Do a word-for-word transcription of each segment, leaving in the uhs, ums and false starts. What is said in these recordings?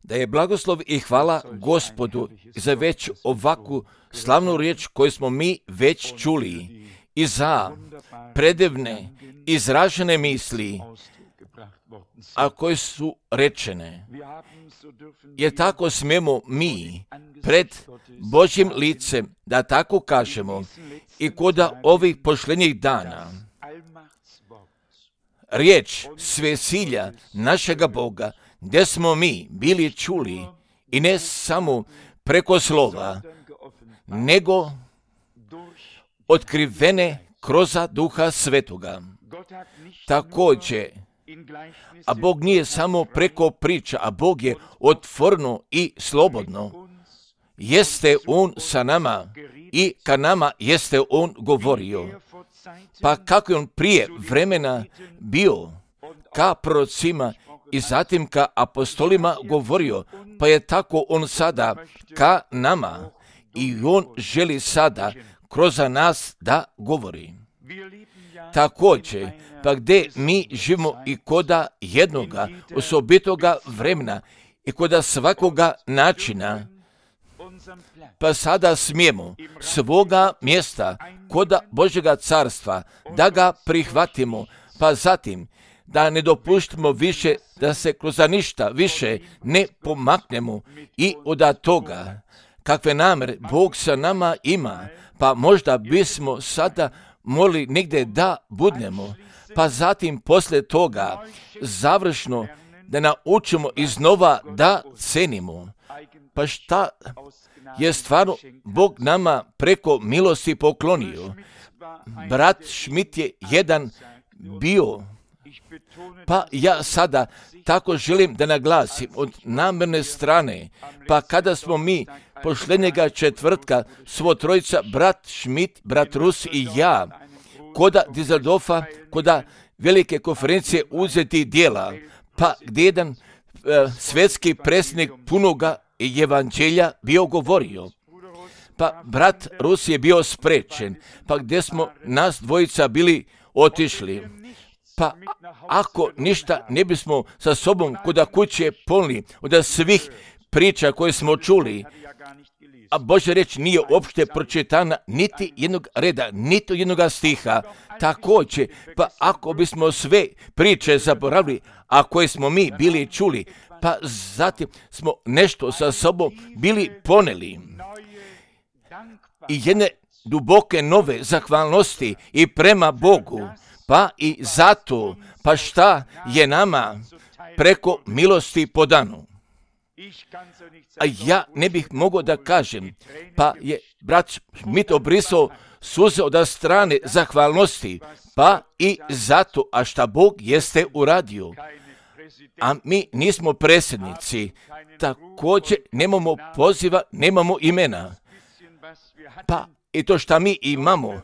Da je blagoslov i hvala Gospodu za već ovakvu slavnu riječ koju smo mi već čuli i za predivne izražene misli, a koje su rečene. Jer tako smijemo mi pred Božjim licem, da tako kažemo, i kod ovih posljednjih dana riječ svesilja našega Boga, gdje smo mi bili čuli i ne samo preko slova, nego otkrivene kroz Duha Svetoga. Također, a Bog nije samo preko priča, a Bog je otvoreno i slobodno. Jeste On sa nama i ka nama jeste On govorio. Pa kako je On prije vremena bio ka prorocima i zatim ka apostolima govorio, pa je tako On sada ka nama i On želi sada kroz nas da govori. Također, pa gdje mi živimo i koda jednoga osobitoga vremena i koda svakoga načina, pa sada smijemo svoga mjesta koda Božjega carstva da ga prihvatimo, pa zatim da ne dopuštimo više da se kroz ništa više ne pomaknemo i od toga kakve namere Bog sa nama ima, pa možda bismo sada morali negdje da budnemo, pa zatim poslije toga završno da naučimo iznova da cenimo. Pa šta je stvarno Bog nama preko milosti poklonio? Brat Schmidt je jedan bio, pa ja sada tako želim da naglasim od namjerne strane, pa kada smo mi posljednjega četvrtka svo trojica, brat Schmidt, brat Rus i ja, koda Düsseldorfa, koda velike konferencije uzeti dijela, pa gdje jedan e, svjetski predsjednik punoga evanđelja bio govorio. Pa brat Rus je bio sprečen, pa gdje smo nas dvojica bili otišli. Pa ako ništa ne bismo sa sobom koda kuće polni od svih priča koje smo čuli, a Božja riječ nije uopšte pročitana niti jednog reda, niti jednog stiha, također, pa ako bismo sve priče zaboravili, a koje smo mi bili čuli, pa zatim smo nešto sa sobom bili poneli. I jedne duboke nove zahvalnosti i prema Bogu, pa i zato, pa šta je nama preko milosti podano. A ja ne bih mogao da kažem, pa je brat Schmidt obrisao suze od strane zahvalnosti, pa i zato, a šta Bog jeste uradio. A mi nismo predsjednici, također nemamo poziva, nemamo imena. Pa i to šta mi imamo,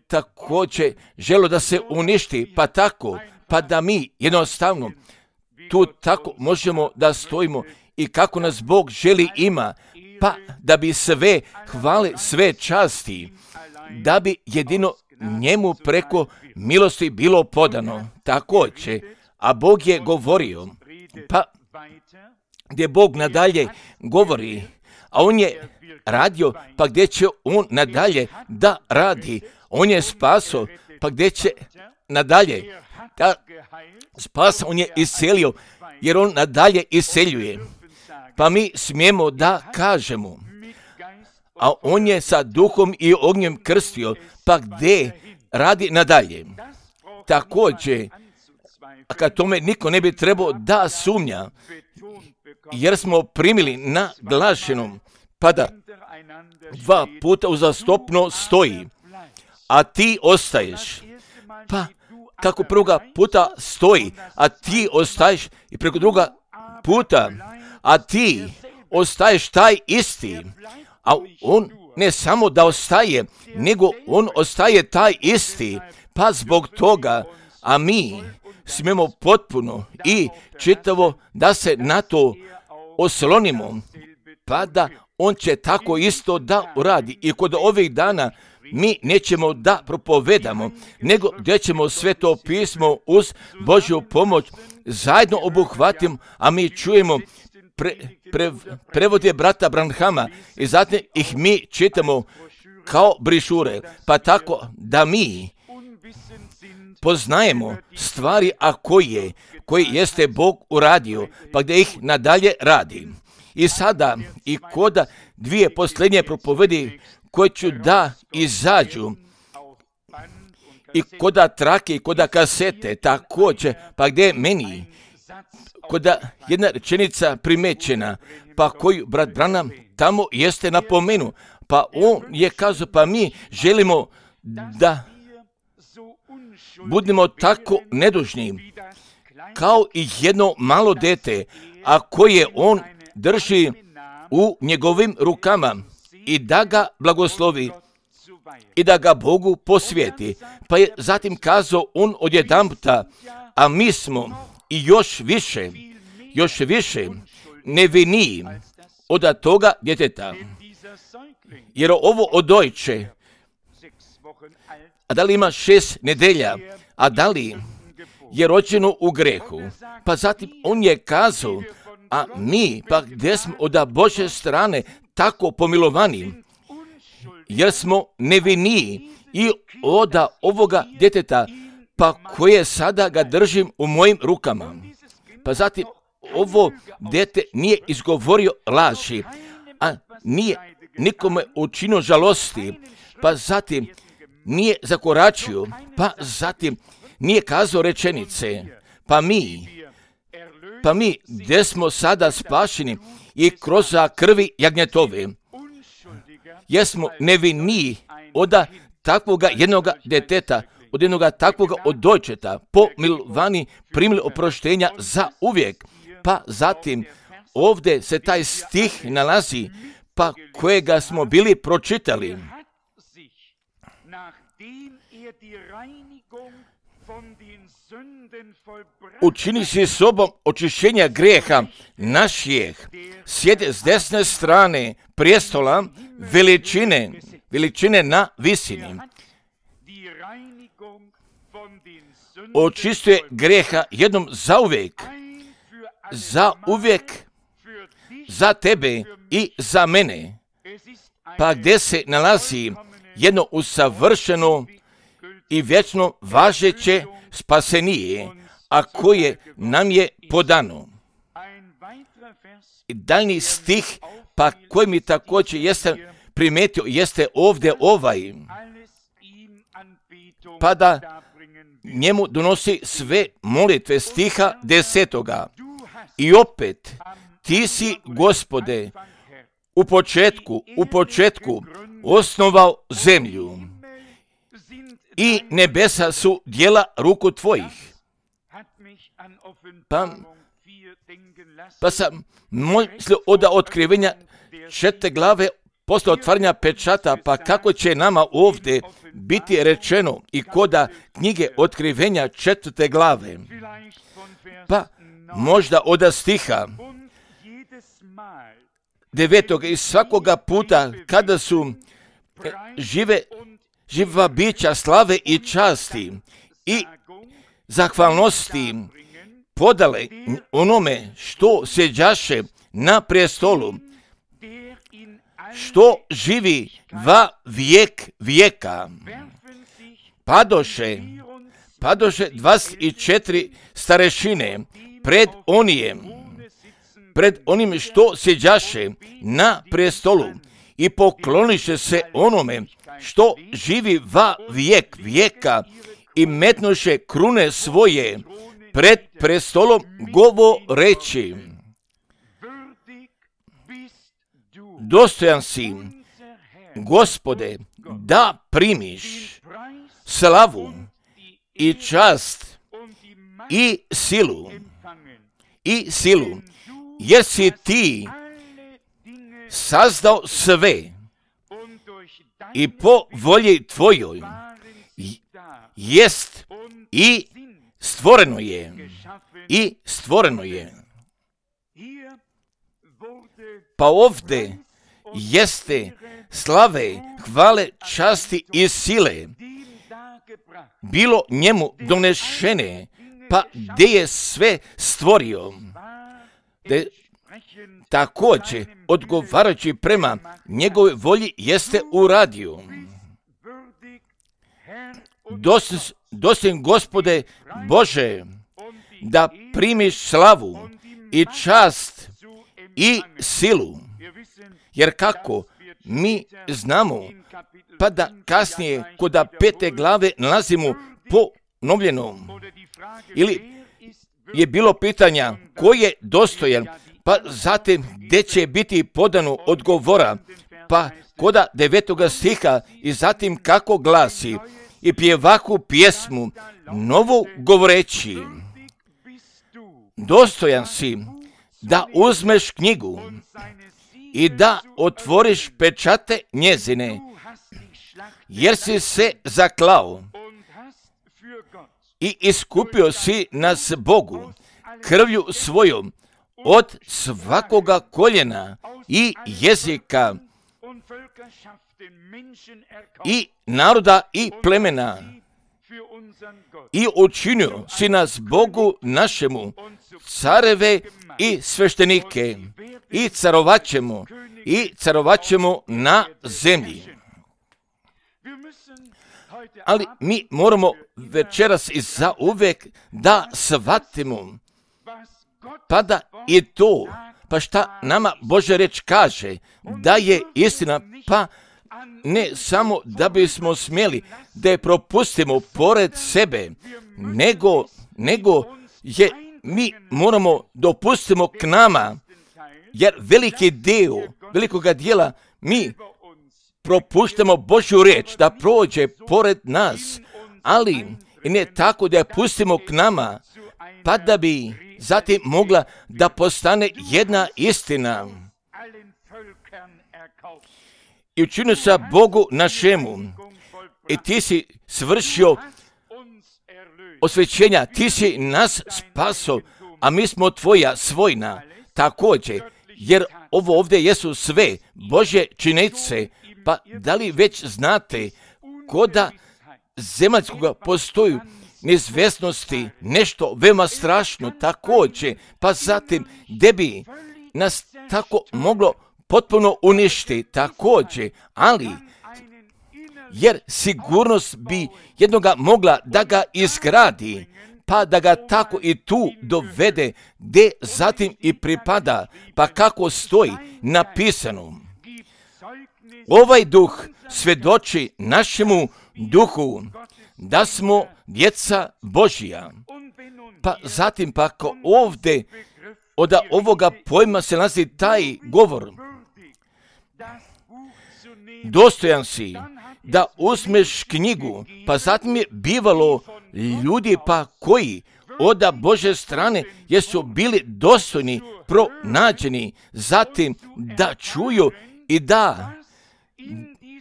također želo da se uništi, pa tako, pa da mi jednostavno tu tako možemo da stojimo i kako nas Bog želi ima, pa da bi sve hvale, sve časti, da bi jedino njemu preko milosti bilo podano. Također, a Bog je govorio, pa gdje Bog nadalje govori, a On je radio, pa gdje će On nadalje da radi. On je spaso, pa gdje će nadalje da spasa. On je iscelio, jer On nadalje isceljuje. Pa mi smijemo da kažemo, a On je sa duhom i ognjem krstio, pa gdje radi nadalje. Također, a kad tome niko ne bi trebao da sumnja, jer smo primili na glašenom, pa da dva puta uzastopno stoji, a ti ostaješ. Pa kako prvoga puta stoji, a ti ostaješ i preko druga puta, a ti ostaješ taj isti, a On ne samo da ostaje, nego On ostaje taj isti, pa zbog toga, a mi smijemo potpuno i čitavo da se na to oslonimo, pa da On će tako isto da uradi. I kod ovih dana mi nećemo da propovedamo, nego gdje ćemo Sveto pismo uz Božju pomoć zajedno obuhvatimo, a mi čujemo pre, pre, prevode brata Branhama i zatim ih mi čitamo kao brišure, pa tako da mi poznajemo stvari, a koje, koji jeste Bog uradio, pa gdje ih nadalje radi. I sada i koda dvije posljednje propovedi koje ću da izađu i koda trake i koda kasete također, pa gdje je meni koda jedna rečenica primećena, pa koju brat Branham tamo jeste napomenu, pa on je kazao, pa mi želimo da budemo tako nedužni kao i jedno malo dete, a koje on drži u njegovim rukama i da ga blagoslovi i da ga Bogu posvijeti. Pa je zatim kazao on odjedanputa, a mi smo i još više, još više neviniji od toga djeteta. Jer ovo odojče, a da li ima šest nedelja, a da li je rođeno u grehu. Pa zatim on je kazao, a mi pa gdje smo od Božje strane tako pomilovani, jer smo neviniji i od ovoga djeteta, pa koje sada ga držim u mojim rukama. Pa zatim ovo dete nije izgovorio laži, a nije nikome učinio žalosti, pa zatim nije zakoračio, pa zatim nije kazao rečenice, pa mi, pa mi gdje smo sada spašeni i kroz krvi jagnjetove, jesmo neviniji od takvoga jednoga djeteta, od jednoga takvoga odojčeta, pomilvani primili oproštenja za uvijek. Pa zatim ovdje se taj stih nalazi, pa kojega smo bili pročitali. Učini si sobom očišćenja grijeha naših, sjede s desne strane prijestola veličine, veličine na visini. Očistuje grijeha jednom zauvijek, za uvijek, za tebe i za mene. Pa gdje se nalazi jedno usavršeno i vječno važeće spasenije, a koje nam je podano. I daljni stih, pa koji mi također jeste primijetio, jeste ovdje ovaj, pa da njemu donosi sve molitve, stiha desetoga. I opet, ti si, Gospode, u početku, u početku osnovao zemlju i nebesa su djela ruku tvojih. Pa, pa sam mislio od otkrivenja četvrte glave posle otvaranja pečata, pa kako će nama ovdje biti rečeno i koda knjige otkrivenja četvrte glave. Pa možda od stiha devetoga i svakoga puta kada su žive, živa bića slave i časti i zahvalnosti podale onome što sjeđaše na prijestolu, što živi va vijek vijeka. Padoše, padoše dvadeset četiri starešine pred onijem, pred onim što sjeđaše na prijestolu i pokloniše se onome što živi va vijek vijeka i metnuše krune svoje pred prestolom govoreći: dostojan si, Gospode, da primiš slavu i čast i silu i silu, jer si ti sazdao sve i po volji tvojoj jest i stvoreno je i stvoreno je. Pa ovdje jeste slave, hvale, časti i sile bilo njemu donešene, pa gdje je sve stvorio, te također odgovarajući prema njegovoj volji jeste uradio. Dostojan Gospode Bože, da primiš slavu i čast i silu, jer kako mi znamo, pa da kasnije kod pete glave nalazimo ponovljeno, ili je bilo pitanja ko je dostojan, pa zatim gdje će biti podano odgovora, pa koda devetoga stiha i zatim kako glasi i pjevaku pjesmu novu govoreći, dostojan si da uzmeš knjigu i da otvoriš pečate njezine, jer si se zaklao i iskupio si nas Bogu krvlju svojom od svakoga koljena i jezika i naroda i plemena i učinio si nas Bogu našemu careve i sveštenike i carovaćemo i carovaćemo na zemlji. Ali mi moramo večeras i zauvek da shvatimo, pa da i to, pa šta nama Božja riječ kaže, da je istina, pa ne samo da bismo smjeli da je propustimo pored sebe, nego, nego je mi moramo dopustimo k nama, jer veliki dio, velikoga dijela mi propuštamo Božju riječ da prođe pored nas, ali ne tako da je pustimo k nama, pa da bi zatim mogla da postane jedna istina. I učinio sa Bogu našemu, i ti si svršio osvećenja, ti si nas spaso, a mi smo tvoja svojna također, jer ovo ovdje jesu sve Božje činjenice. Pa da li već znate koda zemaljskoga postoju neizvjesnosti, nešto veoma strašno također, pa zatim gdje bi nas tako moglo potpuno uništiti također, ali jer sigurnost bi jednoga mogla da ga izgradi, pa da ga tako i tu dovede gdje zatim i pripada, pa kako stoji napisano. Ovaj duh svjedoči našemu duhu da smo djeca Božja. Pa zatim pa ako ovdje od ovoga pojma se nalazi taj govor, dostojan si da uzmeš knjigu, pa zatim je bivalo ljudi pa koji od Božje strane jesu bili dostojni, pronađeni, zatim da čuju i da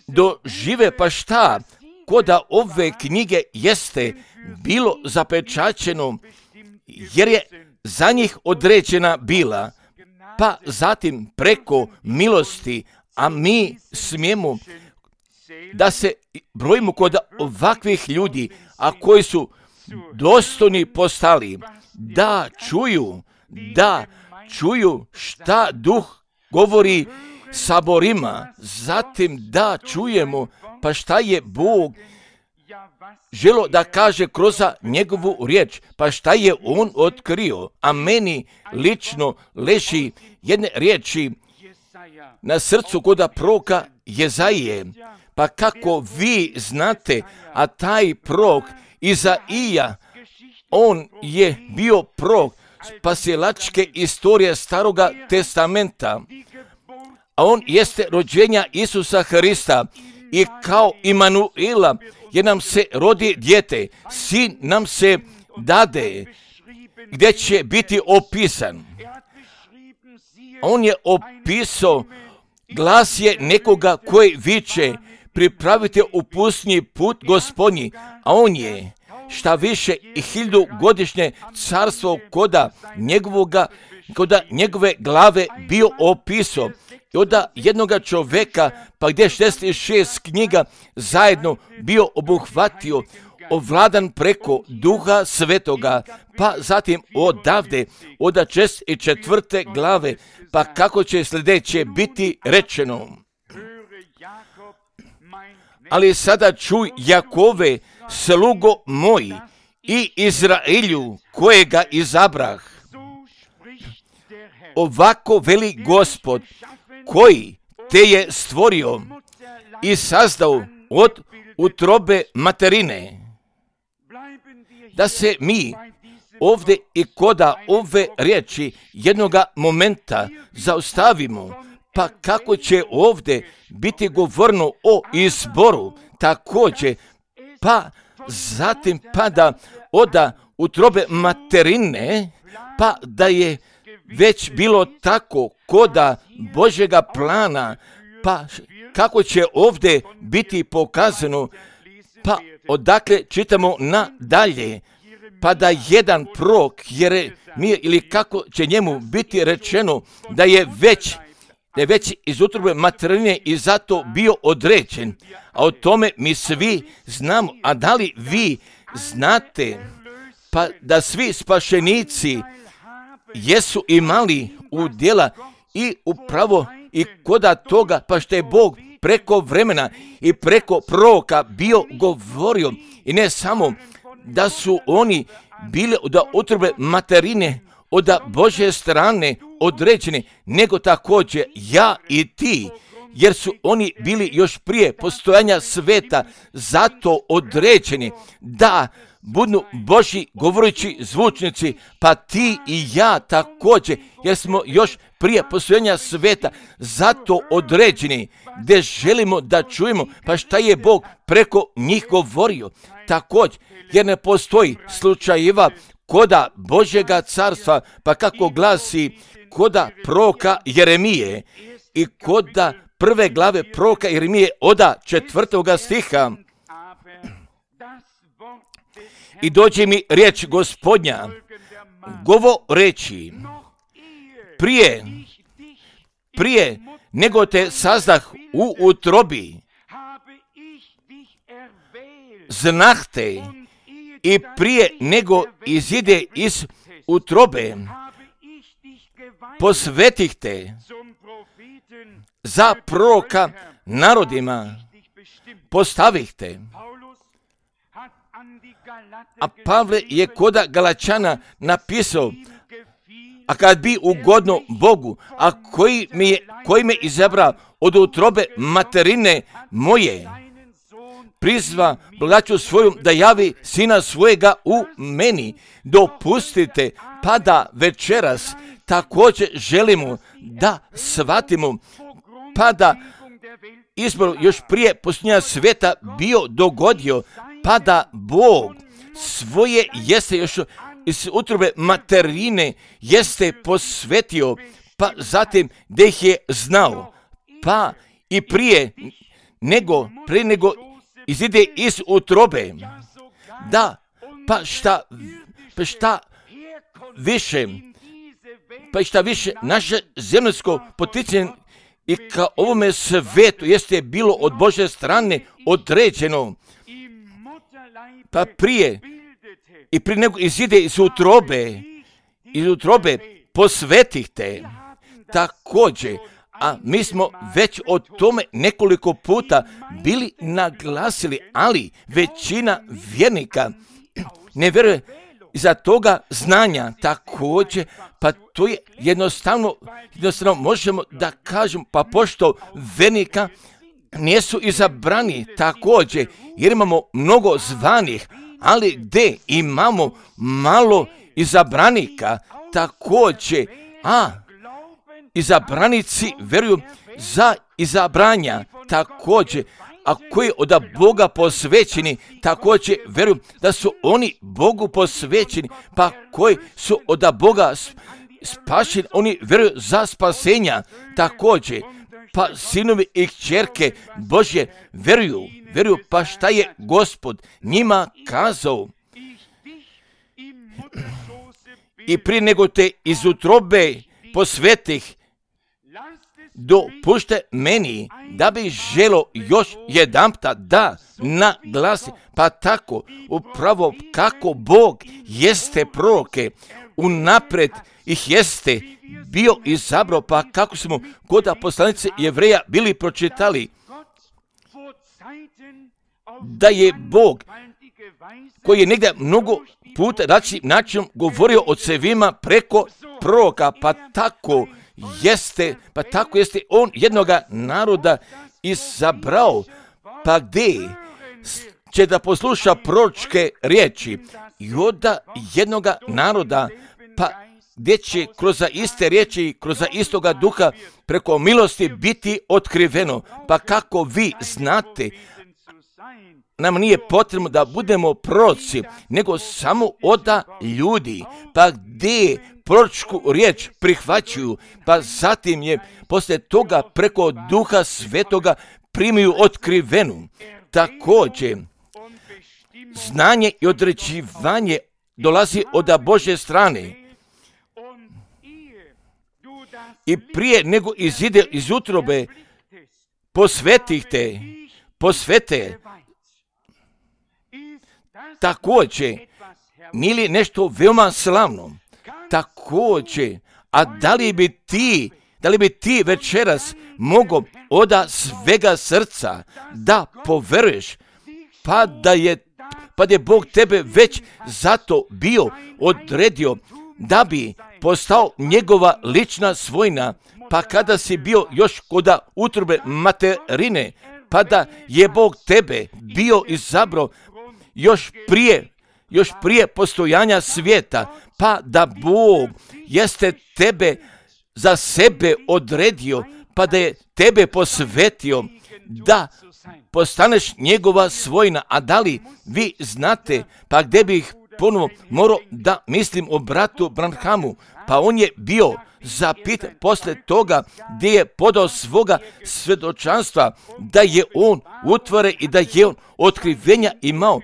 dožive, pa šta koda ove knjige jeste bilo zapečaćeno, jer je za njih određena bila, pa zatim preko milosti, a mi smijemo da se brojimo kod ovakvih ljudi, a koji su dostojni postali, da čuju, da čuju šta duh govori saborima, zatim da čujemo pa šta je Bog želo da kaže kroz njegovu riječ, pa šta je on otkrio, a meni lično leži jedne riječi na srcu kod proroka Jezaije, pa kako vi znate, a taj prorok Izaija, on je bio prorok spasilačke istorije Staroga testamenta, a on jeste rođenja Isusa Hrista i kao Imanuila jer nam se rodi dijete, sin nam se dade, gdje će biti opisan. On je opisao, glas je nekoga koji viče, pripravite u pustinji put Gospodnji, a on je šta više i hiljadu godišnje carstvo koda njegovoga, koda njegove glave bio opisao onda jednoga čoveka, pa gdje šezdeset šest knjiga zajedno bio obuhvatio, ovladan preko Duha Svetoga, pa zatim odavde, od šezdeset četvrte glave, pa kako će sljedeće biti rečeno. Ali sada čuj, Jakove, slugo moji, i Izraelju, kojega izabrah. Ovako veli Gospod, koji te je stvorio i sazdao od utrobe materine. Da se mi ovdje i koda ove riječi jednoga momenta zaustavimo, pa kako će ovdje biti govorno o izboru, također, pa zatim pada oda utrobe materine, pa da je već bilo tako koda Božjega plana, pa kako će ovdje biti pokazano, pa odakle čitamo nadalje, pa da jedan prorok Jeremija, ili kako će njemu biti rečeno da je već da je već iz utrobe materine i zato bio određen. A o tome mi svi znamo. A da li vi znate pa da svi spašenici jesu imali udjela i upravo i koda toga, pa što je Bog preko vremena i preko proroka bio govorio, i ne samo da su oni bili od utrobe materine, od Božje strane određeni, nego također ja i ti, jer su oni bili još prije postojanja sveta zato određeni da budu Božji govoreći zvučnici, pa ti i ja također, jer smo još prije postojanja sveta zato određeni, gdje želimo da čujemo pa šta je Bog preko njih govorio. Također, jer ne postoji slučajeva koda Božjega carstva, pa kako glasi koda proroka Jeremije i koda prve glave proroka Jeremije oda četvrtoga stiha. I dođe mi riječ Gospodnja, govoreći, prije, prije nego te sazdah u utrobi, znah te, i prije nego izide iz utrobe, posvetih te za proroka narodima, postavih te. A Pavle je koda Galačana napisao, a kad bi ugodno Bogu, a koji me, je, koji me izabra od utrobe materine moje, prizva blagodaću svoju da javi sina svojega u meni, dopustite pa da večeras također želimo da shvatimo, pa da izbor još prije posljednja sveta bio dogodio, pa da Bog svoje jeste još iz utrobe materine jeste posvetio, pa zatim da ih je znao, pa i prije nego, prije nego izide iz utrobe, da, pa šta, pa šta više, pa šta više naše zemljsko poticanje i ka ovome svetu jeste bilo od Božje strane određeno, pa prije i prije nego izide iz utrobe, iz utrobe posvetih te također. A mi smo već o tome nekoliko puta bili naglasili, ali većina vjernika ne vjeruje iza toga znanja također, pa to je jednostavno, jednostavno možemo da kažemo, pa pošto vjernika nisu izabrani također, jer imamo mnogo zvanih, ali gdje imamo malo izabranika također, a izabranici vjeruju za izabranja također, a koji od Boga posvećeni također vjeruju da su oni Bogu posvećeni, pa koji su od Boga spašeni, oni vjeruju za spasenja također, pa sinovi i kćerke Božje vjeruju, vjeruju pa šta je Gospod njima kazao. I prije nego te iz utrobe posvetih, dopušte meni da bi želo još jedanputa da naglasi, pa tako upravo kako Bog jeste proroke, unaprijed ih jeste bio izabrao, pa kako smo kod poslanice Jevreja bili pročitali, da je Bog, koji je negdje mnogo puta različitim načinom govorio o cevima preko proroka, pa tako jeste, pa tako jeste on jednoga naroda izabrao, pa gdje će da posluša proročke riječi i onda jednoga naroda, pa gdje će kroz iste riječi, kroz istoga duha preko milosti biti otkriveno, pa kako vi znate, nam nije potrebno da budemo proroci, nego samo oda ljudi, pa gdje proročku riječ prihvaćuju, pa zatim je poslije toga preko Duha Svetoga primiju otkrivenu. Također, znanje i određivanje dolazi od Božje strane. I prije nego izide iz utrobe, posvetih te, posvete. Također, nije li nešto veoma slavno? Također, a da li bi ti, da li bi ti večeras mogao od svega srca da poveruješ, pa da je, pa da je Bog tebe već zato bio odredio da bi postao njegova lična svojina, pa kada si bio još kod utrobe materine, pa da je Bog tebe bio izabrao još prije, još prije postojanja svijeta, pa da Bog jeste tebe za sebe odredio, pa da je tebe posvetio da postaneš njegova svojina. A da li vi znate, pa gdje bih ponovo morao da mislim o bratu Branhamu, pa on je bio zapitan posle toga gdje je podao svoga svjedočanstva da je on utvore i da je on otkrivenja imao.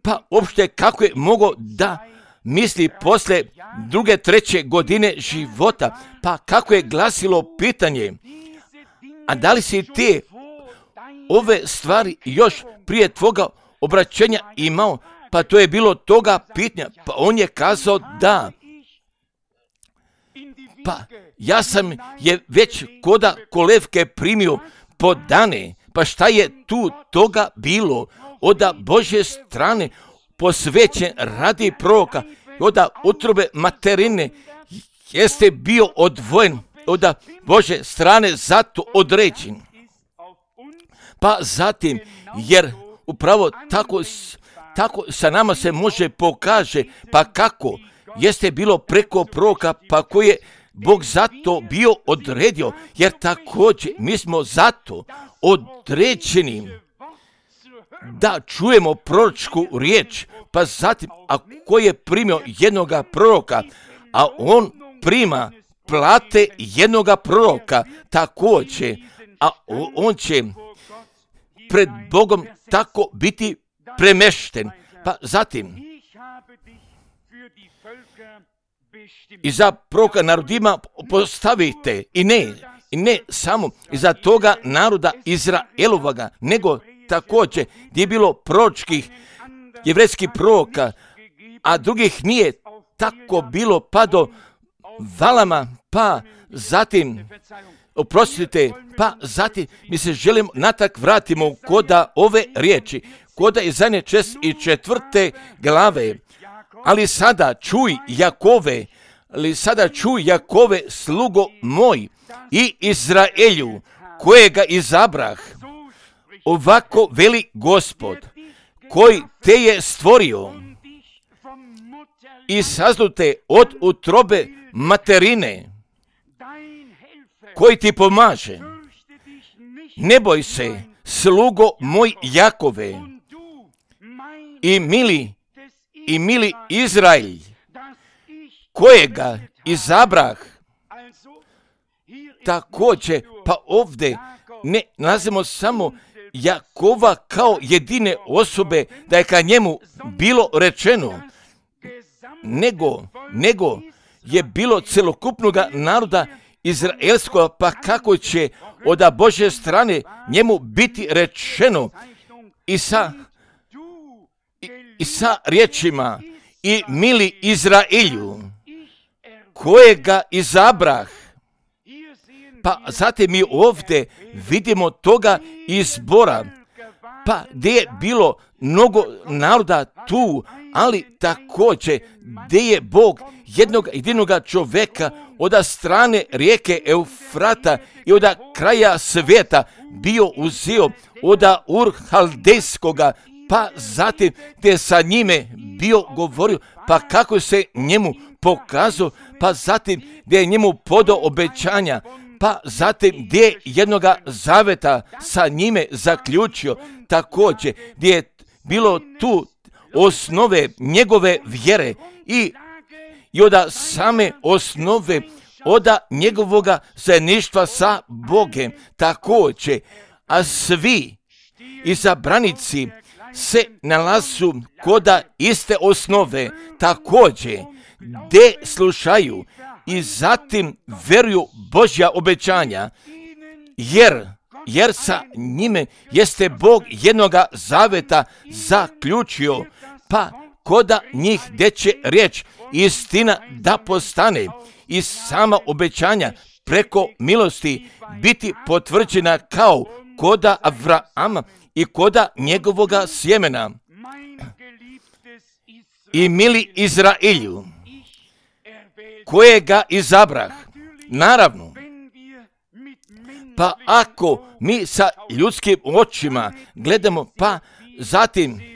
Pa uopšte kako je mogao da misli posle druge, treće godine života, pa kako je glasilo pitanje, a da li si te ove stvari još prije tvoga obraćenja imao? Pa to je bilo toga pitanja, pa on je kazao da. Pa ja sam je već koda kolevke primio po dane, pa šta je tu toga bilo od Božje strane posvećen radi proroka, od utrobe materine jeste bio odvojen od Božje strane zato određen. Pa zatim, jer upravo tako, tako sa nama se može pokaže, pa kako jeste bilo preko proroka, pa koje je Bog zato bio odredio, jer također mi smo zato određeni da čujemo proročku riječ, pa zatim ako je primio jednoga proroka, a on prima plate jednoga proroka također, a on će pred Bogom tako biti premešten. Pa zatim i za proroka narodima postavite i ne, i ne samo iza toga naroda Izraelovaga, nego također gdje je bilo proročkih jevrejskih proroka, a drugih nije tako bilo pa do Valama, pa zatim, oprostite, pa zatim mi se želimo natak vratimo koda ove riječi, koda iz zadnje čest i četvrte glave. Ali sada čuj Jakove, ali sada čuj Jakove slugo moj i Izraelju kojega izabrah. Ovako veli Gospod, koji te je stvorio i sazdute od utrobe materine, koji ti pomaže. Ne boj se, slugo moj Jakove i mili, i mili Izrael, kojega izabrah. Također, pa ovdje ne nalazimo samo Jakova kao jedine osobe, da je ka njemu bilo rečeno, nego, nego je bilo celokupnog naroda izraelskog, pa kako će od Božje strane njemu biti rečeno i sa, i, i sa riječima i mili Izraelju, kojega izabrah. Pa zatim mi ovdje vidimo toga izbora, pa gdje je bilo mnogo naroda tu, ali također gdje je Bog jednog jedinoga čovjeka od strane rijeke Eufrata i od kraja svijeta bio uzeo od Ur Haldejskoga, pa zatim gdje sa njime bio govorio, pa kako se njemu pokazao, pa zatim gdje je njemu podao obećanja, pa zatim gdje je jednoga zaveta sa njime zaključio, također gdje je bilo tu osnove njegove vjere i, i od same osnove od njegovoga zajedništva sa Bogem, također, a svi izabranici se nalazu koda iste osnove, također, gdje slušaju i zatim veruju Božja obećanja, jer, jer sa njime jeste Bog jednoga zaveta zaključio, pa koda njih gdje će riječ istina da postane i sama obećanja preko milosti biti potvrđena kao koda Avrama i koda njegovoga sjemena. I mili Izraelju, kojega izabrah, naravno, pa ako mi sa ljudskim očima gledamo, pa zatim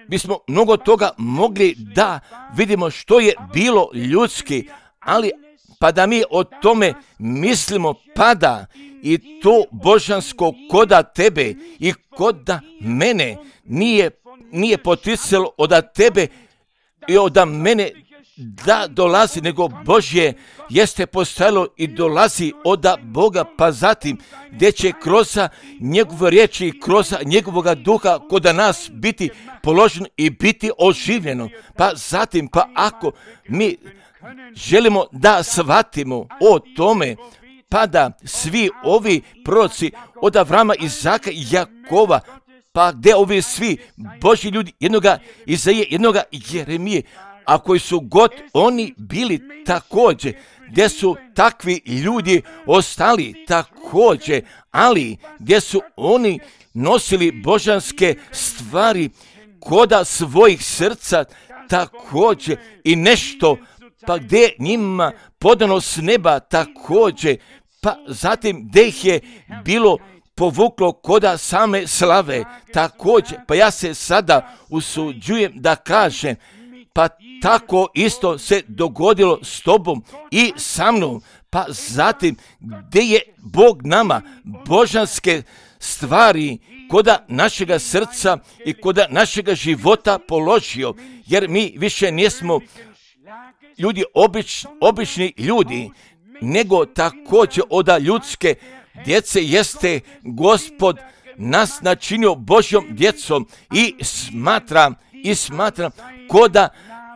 bismo mnogo toga mogli da vidimo što je bilo ljudski, ali pa da mi o tome mislimo, pada i to božansko koda tebe i koda mene nije, nije poticalo od tebe i od mene da dolazi, nego Božje jeste postojalo i dolazi od Boga, pa zatim gdje će kroz njegove riječi i kroz njegovoga duha kod nas biti položeno i biti oživljeno. Pa zatim, pa ako mi želimo da shvatimo o tome, pa da svi ovi proroci od Avrama, Izaka i Jakova, pa gdje ovi svi Božji ljudi, jednoga Izaije, jednoga Jeremije, a koji su god oni bili također, gdje su takvi ljudi ostali također, ali gdje su oni nosili božanske stvari koda svojih srca također i nešto, pa gdje njima podano s neba također, pa zatim gdje ih je bilo povuklo koda same slave također, pa ja se sada usuđujem da kažem, pa tako isto se dogodilo s tobom i sa mnom, pa zatim gdje je Bog nama božanske stvari koda našega srca i koda našega života položio, jer mi više nismo ljudi, obič, obični ljudi, nego također od ljudske djece jeste Gospod nas načinio Božjom djecom i smatram, i smatram koda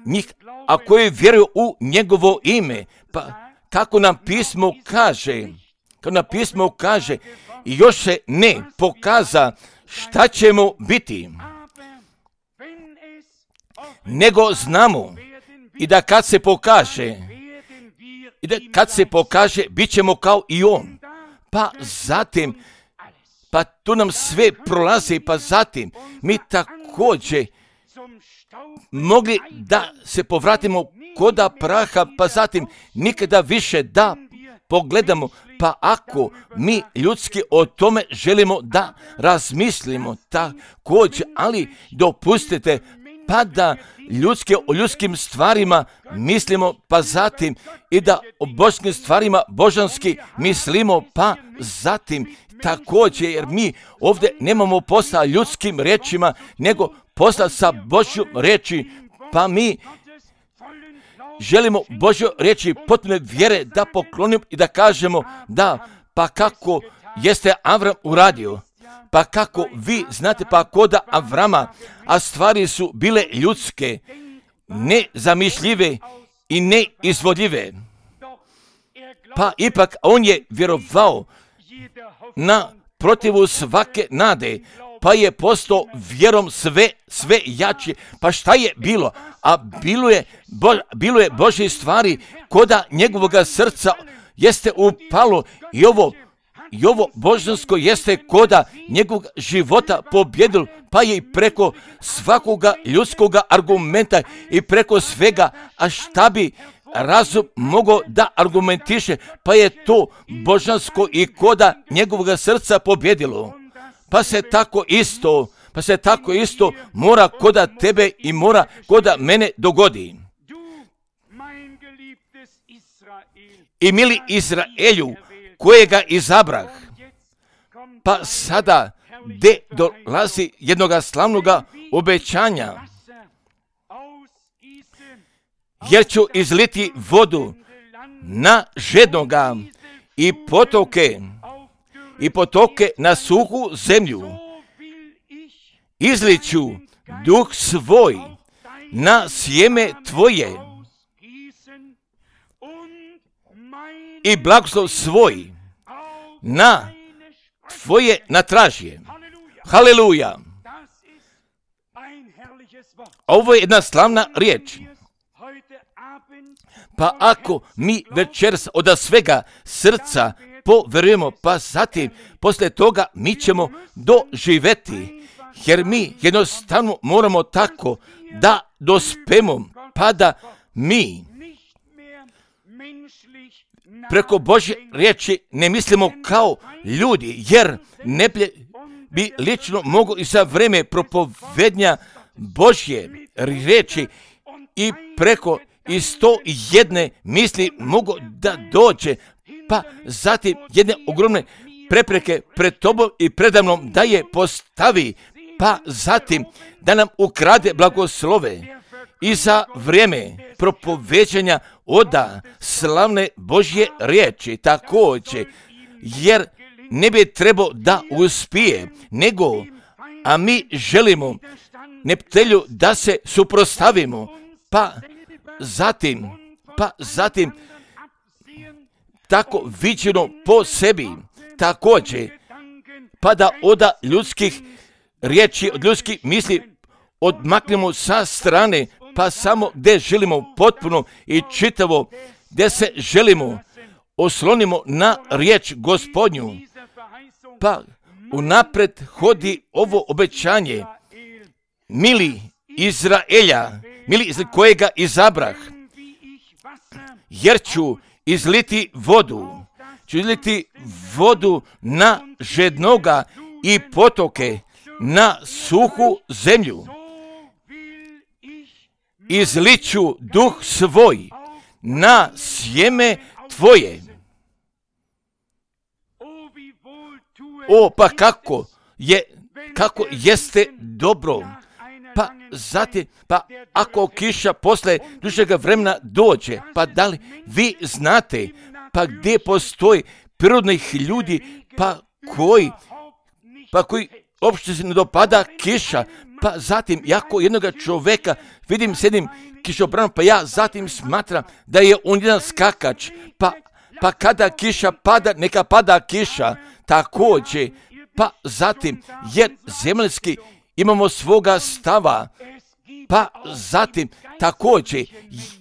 njih, a koji vjeruju u njegovo ime, pa kako nam pismo kaže, kako nam pismo kaže, još se ne pokaza šta ćemo biti, nego znamo i da kad se pokaže, i da kad se pokaže, bit ćemo kao i on. Pa zatim, pa tu nam sve prolazi, pa zatim mi također mogli da se povratimo koda praha, pa zatim nikada više da pogledamo, pa ako mi ljudski o tome želimo da razmislimo također, ali dopustite pa da ljudske o ljudskim stvarima mislimo, pa zatim i da o božanskim stvarima božanski mislimo, pa zatim također, jer mi ovdje nemamo posla ljudskim rečima, nego posla sa Božjom reči, pa mi želimo Božjoj reči potpune vjere da poklonimo i da kažemo da, pa kako jeste Avram uradio, pa kako vi znate, pa koda Avrama, a stvari su bile ljudske, nezamišljive i neizvodljive. pa ipak on je vjerovao na protivu svake nade, pa je postao vjerom sve, sve jači. Pa šta je bilo? A bilo je, bo, bilo je Božje stvari koda njegovoga srca jeste upalo i ovo, i ovo božansko jeste koda njegovog života pobjedilo, pa je i preko svakoga ljudskoga argumenta i preko svega, a šta bi razum mogao da argumentiše, pa je to božansko i koda njegovog srca pobjedilo. Pa se tako isto, pa se tako isto mora koda tebe i mora koda mene dogodi. I mili Izraelju, kojega izabrah, pa sada gdje dolazi jednoga slavnoga obećanja, jer ću izliti vodu na žednoga i potoke, i potoke na suhu zemlju. Izliću duh svoj na sjeme tvoje i blagoslov svoj na tvoje natražje. Haleluja! Ovo je jedna slavna riječ. Pa ako mi večeras od svega srca poverujemo, pa zatim poslije toga mi ćemo doživjeti, jer mi jednostavno moramo tako da dospemo, pa da mi preko Božje riječi ne mislimo kao ljudi, jer ne bi lično mogo i za vreme propovednja Božje riječi i preko i sto jedne misli mogu da dođe, pa zatim jedne ogromne prepreke pred tobom i predamnom da je postavi, pa zatim da nam ukrade blagoslove i za vrijeme propoveđanja oda slavne Božje riječi također, jer ne bi trebao da uspije, nego, a mi želimo neptelju da se suprostavimo, pa zatim, pa zatim tako viđeno po sebi, također, pa da oda ljudskih riječi, od ljudskih misli odmaknemo sa strane, pa samo gdje želimo potpuno i čitavo, gdje se želimo oslonimo na riječ Gospodnju, pa unapred hodi ovo obećanje, mili Izraelja, mili Izraelja kojega izabrah, jer ću izliti vodu, ću izliti vodu na žednoga i potoke na suhu zemlju. Izliću duh svoj na sjeme tvoje. O, pa kako je, kako jeste dobro. Pa zatim, pa ako kiša posle dužega vremena dođe, pa da li vi znate, pa gdje postoji prirodnih ljudi, pa koji, pa koji uopšte se ne dopada kiša, pa zatim, jako jednoga čoveka vidim s jednim kišobranom, pa ja zatim smatram da je on jedan skakač, pa, pa kada kiša pada, neka pada kiša, također, pa zatim, jer zemaljski imamo svoga stava, pa zatim, također,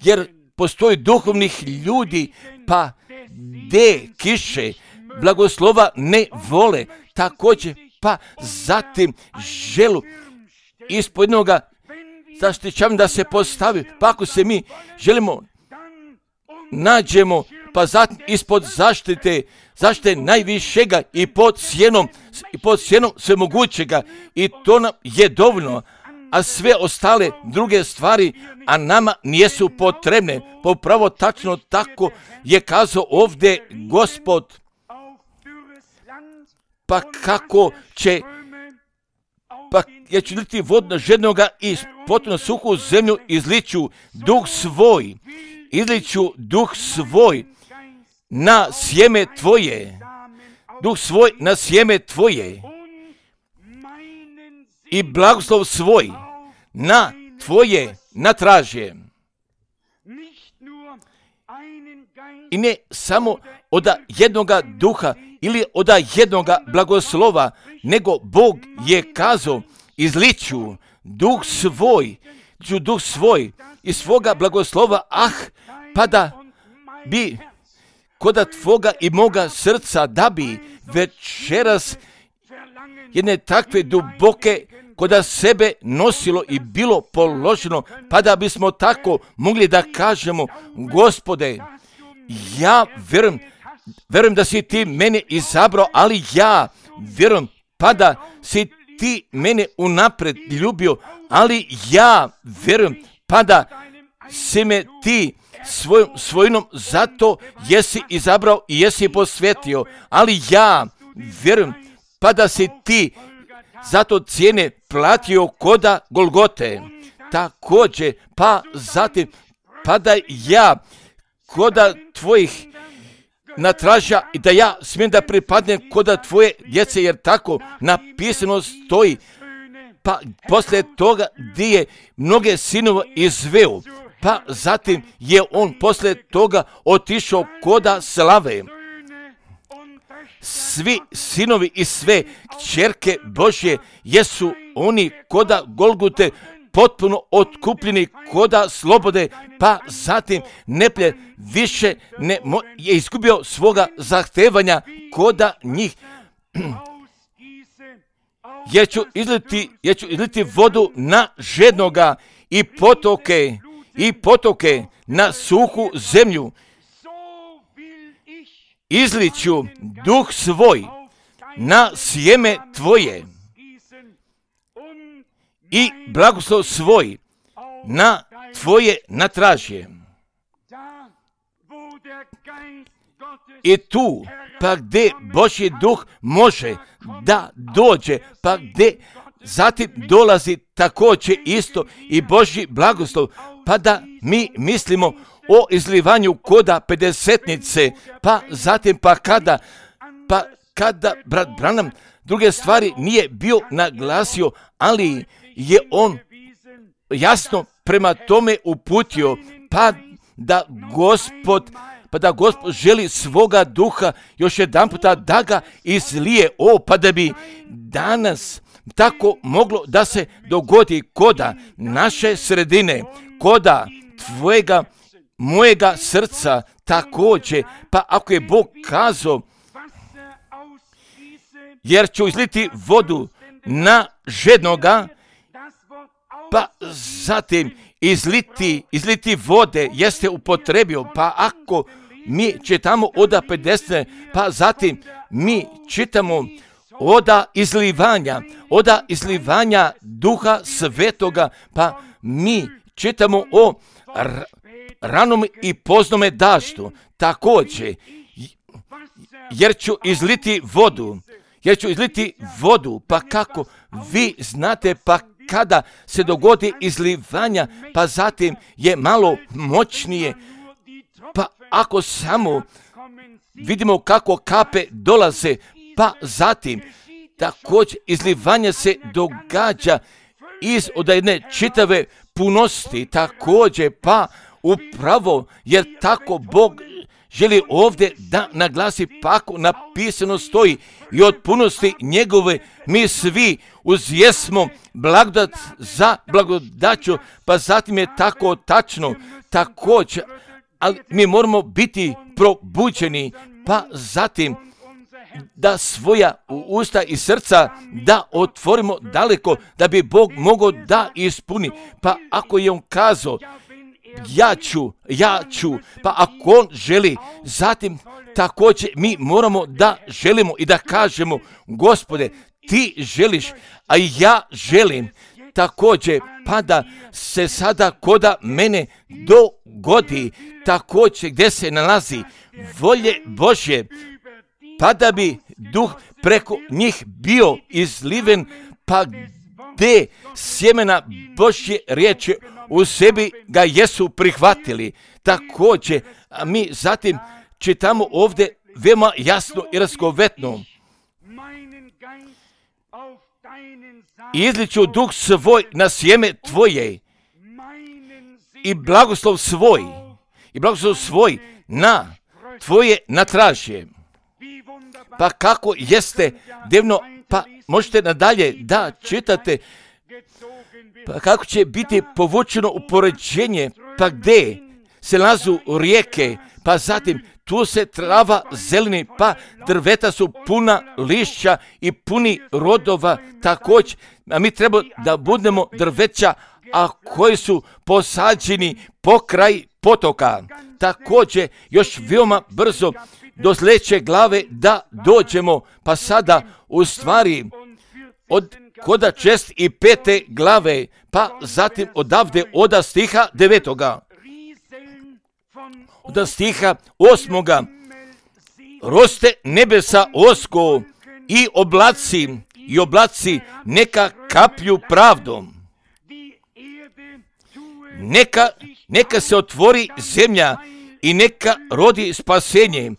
jer postoji duhovnih ljudi, pa gdje kiše blagoslova ne vole, također, pa zatim želu ispod jednoga zaštićavanja da se postavi, pa ako se mi želimo nađemo, pa zatim ispod zaštite, zaštite najvišega i pod sjenom, i pod sjenom svemogućega, i to nam je dovoljno, a sve ostale druge stvari, a nama nijesu potrebne. Popravo tačno tako je kazao ovdje Gospod. Pa kako će, pa ja ću liti vodno žednoga i potpuno suhu zemlju, izliću duh svoj, izliću duh svoj na sjeme tvoje, duh svoj na sjeme tvoje i blagoslov svoj na tvoje natražje. I ne samo od jednoga duha ili od jednoga blagoslova, nego Bog je kazao, izliću duh svoj, ću duh svoj i svoga blagoslova, ah, pa da bi koda tvoga i moga srca, da bi večeras jedne takve duboke koda sebe nosilo i bilo položeno, pa da bismo tako mogli da kažemo, Gospode, ja vjerujem, vjerujem da si ti mene izabrao, ali ja vjerujem, pa da si ti mene unapred ljubio, ali ja vjerujem, pa da si me ti svojom svojinom zato jesi izabrao i jesi posvetio, ali ja vjerujem, pa da si ti zato cijene platio koda Golgote. Također, pa zatim, pa da ja koda tvojih natraža i da ja smijem da pripadnem koda tvoje djece, jer tako napisano stoji. Pa poslije toga gdje je mnoge sinova izveo, pa zatim je on poslije toga otišao koda slave. Svi sinovi i sve kćerke Božje jesu oni koda Golgute potpuno otkupljeni koda slobode, pa zatim neplje više ne mo- je izgubio svoga zahtevanja koda njih. Jer ću izliti, jer ću izliti vodu na žednoga i potoke, i potoke na suhu zemlju. Izliću duh svoj na sjeme tvoje i blagoslov svoj na tvoje natražje. I tu, pa gdje Božji duh može da dođe, pa gdje zatim dolazi također isto i Božji blagoslov, pa da mi mislimo o izlivanju koda pedesetnice, pa zatim pa kada, pa kada brat Branham druge stvari nije bio naglasio, ali je on jasno prema tome uputio, pa da Gospod, pa da Gospod želi svoga duha još jedan puta da ga izlije, o, pa da bi danas tako moglo da se dogodi koda naše sredine, koda tvojega, mojega srca također, pa ako je Bog kazao, jer ću izliti vodu na žednoga, pa zatim izliti, izliti vode jeste upotrebio, pa ako mi čitamo oda pedeset, pa zatim mi čitamo oda izlivanja, oda izlivanja Duha Svetoga, pa mi čitamo o r- ranom i poznome daštu, također, jer ću izliti vodu, jer ću izliti vodu, pa kako vi znate, pa kada se dogodi izlivanja, pa zatim je malo moćnije, pa ako samo vidimo kako kape dolaze, pa zatim također izlivanje se događa iz od jedne čitave punosti, također, pa upravo jer tako Bog želi ovdje da naglasi, pa ako napisano stoji i od punosti njegove mi svi uzjesmo blagodat za blagodaću, pa zatim je tako tačno, također, ali mi moramo biti probuđeni, pa zatim da svoja usta i srca da otvorimo daleko, da bi Bog mogao da ispuni, pa ako je on kazao, ja ću, ja ću, pa ako on želi, zatim također mi moramo da želimo i da kažemo, Gospode, ti želiš, a ja želim, također, pa da se sada koda mene dogodi, također gdje se nalazi volje Božje, pa da bi duh preko njih bio izliven, pa gdje sjemena Božje riječi u sebi ga jesu prihvatili. Također, a mi zatim čitamo ovdje veoma jasno i razgovetno. Izliću duh svoj na sjeme tvoje i blagoslov svoj, i blagoslov svoj na tvoje natražje. Pa kako jeste divno, pa možete nadalje da čitate, pa kako će biti povučeno u poređenje, pa gdje se nalazu rijeke, pa zatim tu se trava zeleni, pa drveta su puna lišća i puni rodova također. A mi treba da budemo drveća, a koji su posađeni pokraj potoka. Također još veoma brzo do sljedeće glave da dođemo, pa sada u stvari od koda čest i pete glave, pa zatim odavde oda stiha devetoga, oda stiha osmoga, roste nebesa osko i oblaci, i oblaci neka kaplju pravdom. Neka, neka se otvori zemlja i neka rodi spasenje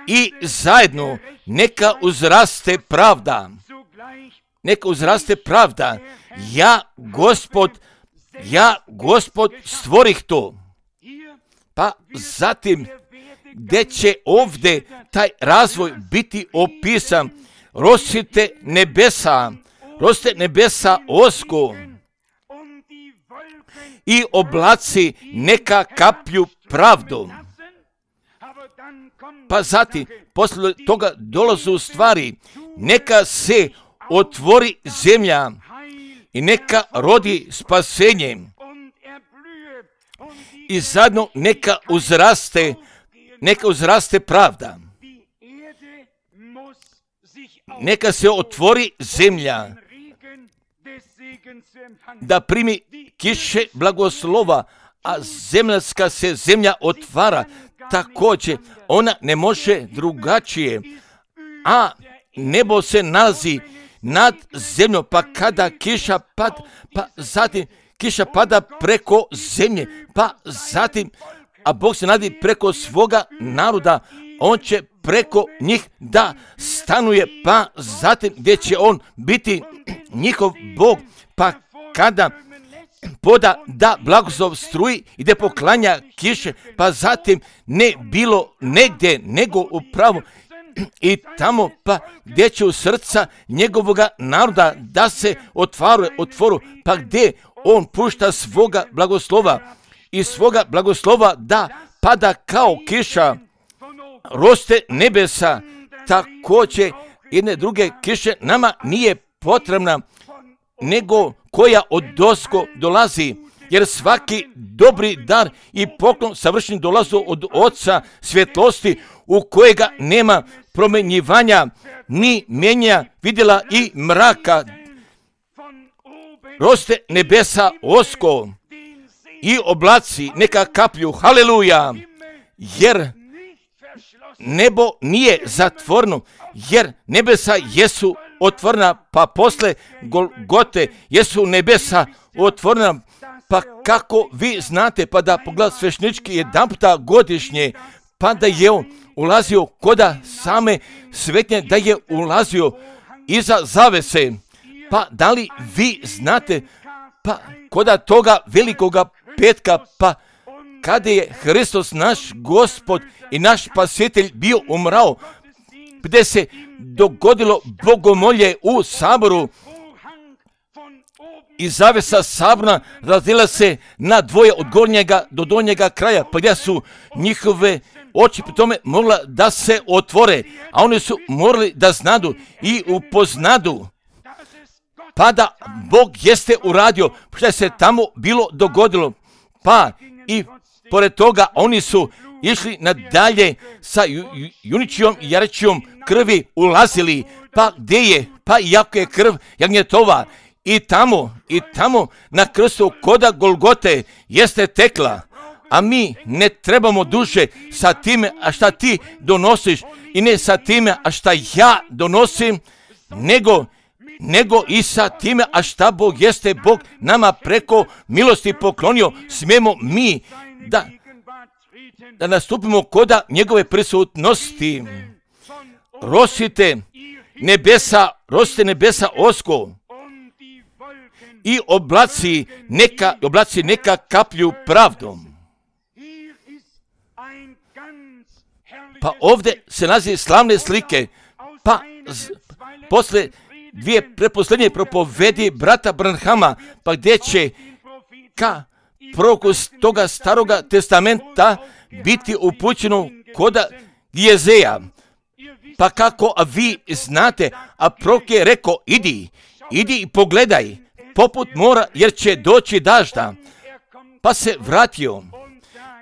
i zajedno neka uzraste pravda. Neka uzraste pravda. Ja, Gospod, ja, Gospod, stvorih to. Pa zatim, gdje će ovdje taj razvoj biti opisan, rosite nebesa, roste nebesa osko i oblaci neka kaplju pravdom. Pa zatim, posle toga dolazu stvari, neka se otvori zemlja i neka rodi spasenje i zajedno neka uzraste, neka uzraste pravda. Neka se otvori zemlja da primi kiše blagoslova, a zemljska se zemlja otvara. Također, ona ne može drugačije, a nebo se nalazi nad zemljom, pa kada kiša pad, pa zatim kiša pada preko zemlje, pa zatim, a Bog se nadi preko svoga naroda, on će preko njih da stanuje, pa zatim gdje će on biti njihov Bog, pa kada poda da blagoslov struji i da poklanja kiše, pa zatim ne bilo negdje nego upravo i tamo, pa gdje će u srca njegovoga naroda da se otvaru, otvoru, pa gdje on pušta svoga blagoslova i svoga blagoslova da pada kao kiša, roste nebesa, također jedne druge kiše nama nije potrebna, nego koja od dosko dolazi, jer svaki dobri dar i poklon savršen dolazu od Oca svjetlosti, u kojega nema promenjivanja, ni mijenja vidjela i mraka. Roste nebesa osko i oblaci neka kaplju, haleluja, jer nebo nije zatvoreno, jer nebesa jesu otvorena, pa posle Golgote jesu nebesa otvorena, pa kako vi znate, pa da pogled svešnički jedan puta godišnje, pa da je on ulazio koda same svetnje, da je ulazio iza zavese, pa da li vi znate, pa koda toga velikoga petka, pa kada je Hristos naš Gospod i naš Spasitelj bio umrao, gdje se dogodilo bogomolje u saboru i zavesa sabora razdjela se na dvoje od gornjega do donjega kraja, pa gdje su njihove oči pri tome mogla da se otvore, a oni su morali da znadu i upoznadu, pa da Bog jeste uradio što se tamo bilo dogodilo, pa i pored toga oni su išli nadalje sa ju, ju, juničijom i jarečijom krvi ulazili, pa gdje je, pa iako je krv jagnjetova i tamo, i tamo na krstu koda Golgote jeste tekla, a mi ne trebamo duže sa time, a šta ti donosiš i ne sa time, a šta ja donosim, nego nego i sa time, a šta Bog jeste Bog nama preko milosti poklonio, smijemo mi da, da nastupimo koda njegove prisutnosti. Rosite nebesa, rosite nebesa osko i oblaci neka, oblaci neka kaplju pravdom. Pa ovdje se nalazi slavne slike, pa z, posle dvije preposlednje propovedi brata Branhama, pa gdje će ka proroku toga staroga testamenta biti upućeno koda Jezeja. Pa kako a vi znate, a prorok je rekao, idi, idi i pogledaj, poput mora, jer će doći dažda. Pa se vratio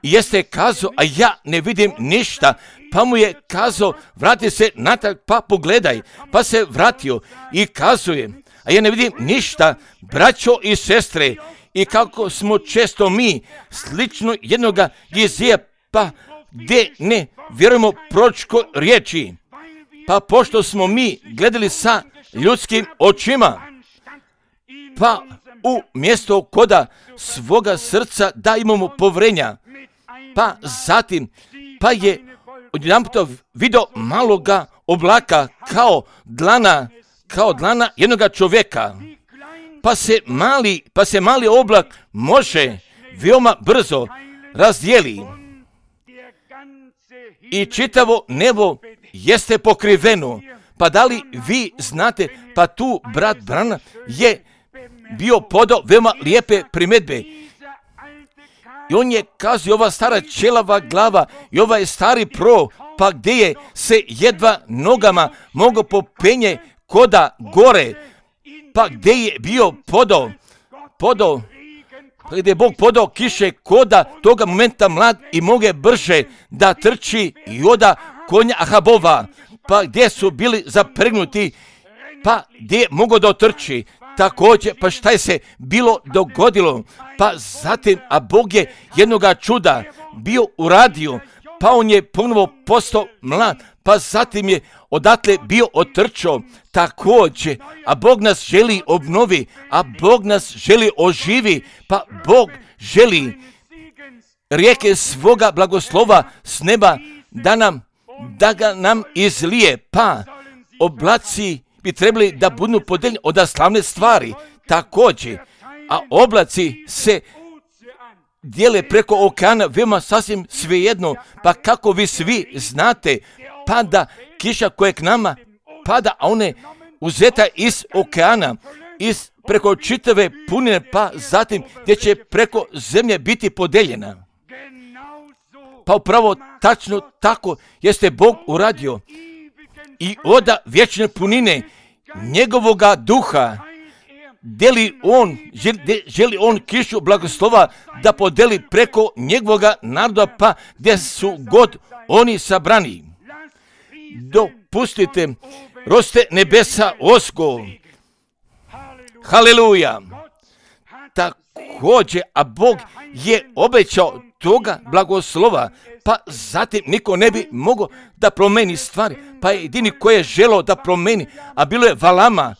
i jeste kazao, a ja ne vidim ništa. Pa mu je kazao, vrati se natrag, pa pogledaj. Pa se vratio i kazuje, a ja ne vidim ništa, braćo i sestre. I kako smo često mi slično jednoga Jezeja, pa gdje ne vjerujemo proročkoj riječi. Pa pošto smo mi gledali sa ljudskim očima, pa u mjesto koda svoga srca da imamo povrenja, pa zatim, pa je odjedanput vidio maloga oblaka kao dlana, kao dlana jednoga čovjeka. Pa se mali, pa se mali oblak može veoma brzo razdijeli i čitavo nebo jeste pokriveno. Pa da li vi znate, pa tu brat Branham je bio podao veoma lijepe primjedbe. I on je kazao, ova stara ćelava glava i ovaj stari pro, pa gdje je se jedva nogama mogao popenje koda gore, pa gdje je bio podao, podao, pa gdje je Bog podao kiše koda toga momenta mlad i moge brže da trči i oda konja Ahabova, pa gdje su bili zapregnuti, pa gdje je mogao da otrči. Također, pa šta je se bilo dogodilo? Pa zatim, a Bog je jednoga čuda bio uradio, pa on je ponovo postao mlad, pa zatim je odatle bio otrčao. Također, a Bog nas želi obnovi, a Bog nas želi oživi, pa Bog želi rijeke svoga blagoslova s neba da nam, da ga nam izlije, pa oblaci bi trebali da budu podeljeni od slavne stvari. Također, a oblaci se dijele preko okeana, veoma sasvim svejedno, pa kako vi svi znate, pada kiša koja k nama pada, a one uzeta iz okeana, iz preko čitave punine, pa zatim gdje će preko zemlje biti podeljena. Pa upravo tačno tako jeste Bog uradio. I oda vječne punine njegovoga duha deli on, želi, želi on kišu blagoslova da podeli preko njegovoga naroda, pa gdje su god oni sabrani. Dopustite, roste nebesa osko. Haleluja. Također, a Bog je obećao toga blagoslova, pa zatim niko ne bi mogao da promeni stvari, pa jedini koji je želeo da promeni, a bilo je Valama,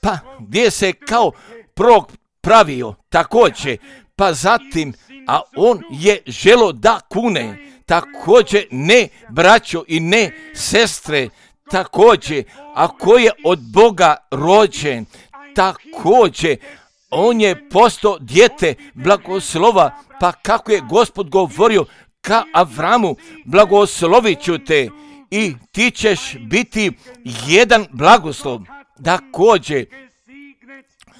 pa gdje se kao prorok pravio također, pa zatim, a on je želeo da kune, također ne braćo i ne sestre, također, a koji je od Boga rođen, također, on je postao dijete blagoslova, pa kako je Gospod govorio ka Avramu, blagoslovit ću te i ti ćeš biti jedan blagoslov. Također,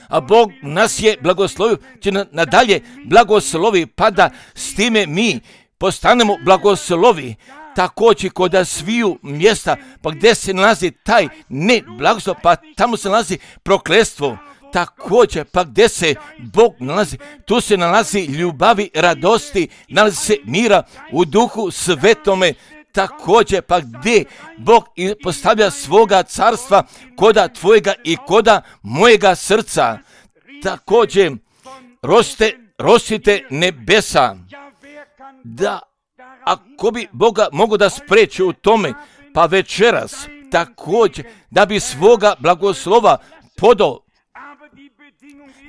a Bog nas je blagoslovio, će nadalje blagoslovi, pa da s time mi postanemo blagoslovi. Također kod sviju mjesta, pa gdje se nalazi taj ne blagoslov, pa tamo se nalazi prokletstvo. Također, pa gdje se Bog nalazi, tu se nalazi ljubavi, radosti, nalazi se mira u duhu svetome. Također, pa gdje Bog postavlja svoga carstva koda tvojega i koda mojega srca. Također, roste, rostite nebesa. Da, ako bi Boga mogo da spreči u tome, pa večeras, također, da bi svoga blagoslova podao.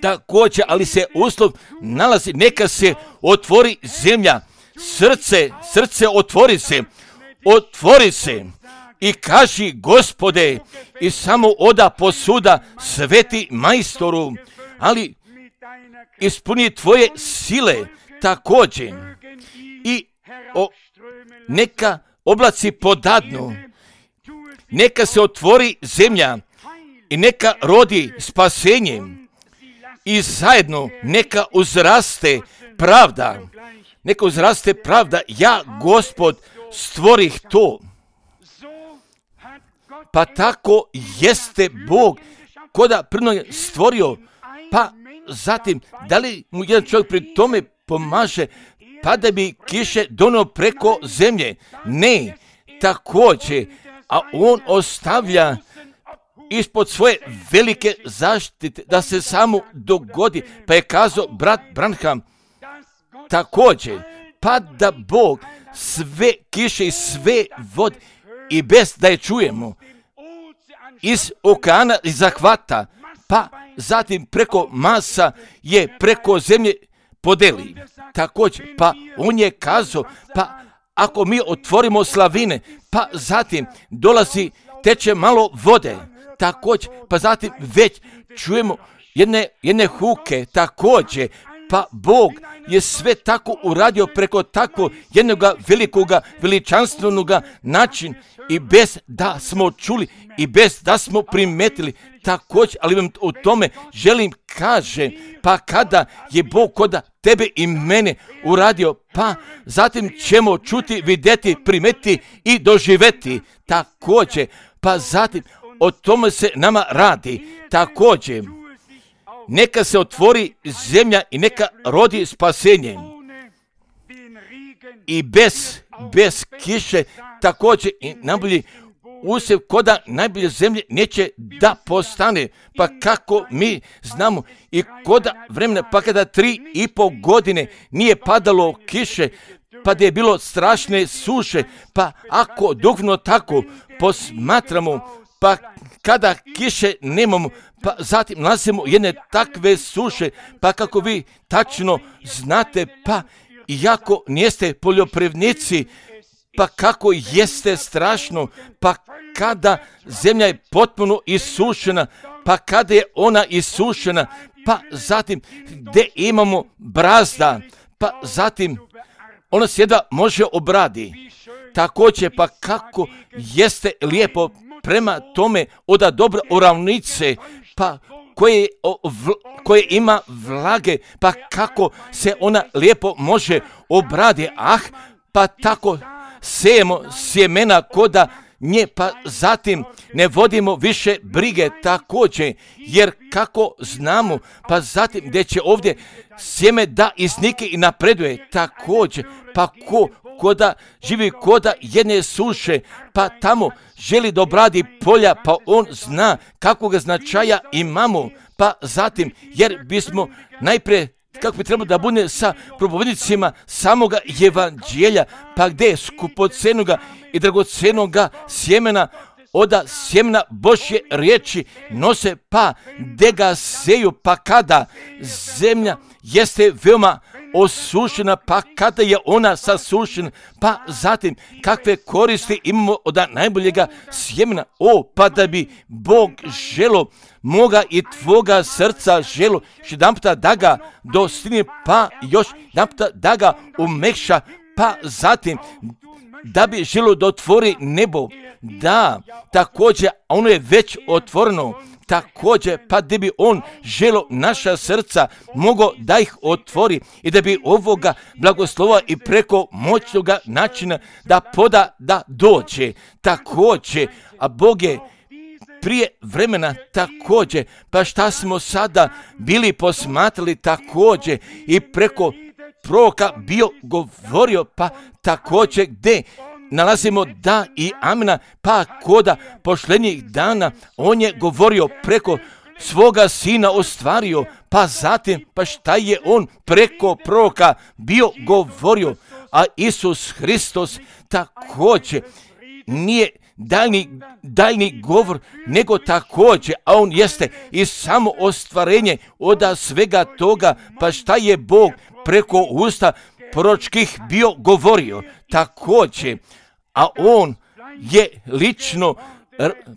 Također, ali se uslov nalazi, neka se otvori zemlja, srce, srce otvori se, otvori se i kaži Gospode i samo oda posuda sveti majstoru, ali ispuni tvoje sile također i o, neka oblaci podadnu, neka se otvori zemlja i neka rodi spasenjem i zajedno neka uzraste pravda. Neka uzraste pravda. Ja, Gospod, stvorih to. Pa tako jeste Bog koda prvo je stvorio, pa zatim da li mu jedan čovjek pri tome pomaže, pa da bi kiše donio preko zemlje? Ne, također, a on ostavlja ispod svoje velike zaštite da se samo dogodi, pa je kazao brat Branham također, pa da Bog sve kiše i sve vode i bez da je čujemo iz okeana i zahvata, pa zatim preko masa je preko zemlje podeli. Također, pa on je kazao, pa ako mi otvorimo slavine, pa zatim dolazi, teče malo vode, također, pa zatim već čujemo jedne, jedne huke, također, pa Bog je sve tako uradio preko tako jednoga velikoga, veličanstvenoga načina i bez da smo čuli i bez da smo primetili također, ali vam o tome želim kaže, pa kada je Bog koda tebe i mene uradio, pa zatim ćemo čuti, vidjeti, primetiti i doživjeti također, pa zatim o tome se nama radi također. Neka se otvori zemlja i neka rodi spasenje. I bez, bez kiše također i najbolji usjev koda najbolje zemlje neće da postane. Pa kako mi znamo i koda vremena, pa kada tri i pol godine nije padalo kiše, pa da je bilo strašne suše, pa ako dugno tako posmatramo, pa kada kiše nemamo, pa zatim nalazimo jedne takve suše, pa kako vi tačno znate, pa iako niste poljoprivrednici, pa kako jeste strašno, pa kada zemlja je potpuno isušena, pa kada je ona isušena, pa zatim gdje imamo brazda, pa zatim ona se jedva može obradi. Također, pa kako jeste lijepo prema tome oda dobra ravnice, pa koje, koje ima vlage, pa kako se ona lijepo može obradi. Ah, pa tako sejemo sjemena koda nje, pa zatim ne vodimo više brige također, jer kako znamo, pa zatim gdje će ovdje sjeme da iznike i napreduje također, pa ko koda živi koda jedne suše, pa tamo želi da obradi polja, pa on zna kakvog značaja imamo, pa zatim, jer bismo najprije kako bi trebalo da bude sa propovednicima samoga evanđelja, pa gdje je skupocenoga i dragocenoga sjemena, oda sjemena Božje riječi nose, pa gdje ga seju, pa kada zemlja jeste veoma osušena, pa kada je ona sasušena, pa zatim kakve koristi imamo od najboljega sjemena. O, pa da bi Bog želo moga i tvoga srca želo jedanputa da ga dostigne, pa još jedanputa da ga umekša, pa zatim da bi želo da otvori nebo. Da, također, ono je već otvoreno. Također, pa da bi on želo naša srca mogao da ih otvori i da bi ovoga blagoslova i preko moćnoga načina da poda da dođe. Također, a Bog je prije vremena također, pa šta smo sada bili posmatrali također i preko proroka bio govorio, pa također gdje nalazimo da i amena, pa koda pošlednjih dana on je govorio preko svoga sina ostvario, pa zatim, pa šta je on preko proroka bio govorio, a Isus Hristos također nije daljni, daljni govor, nego također, a on jeste i samo ostvarenje od svega toga, pa šta je Bog preko usta proročkih bio govorio također, a on je lično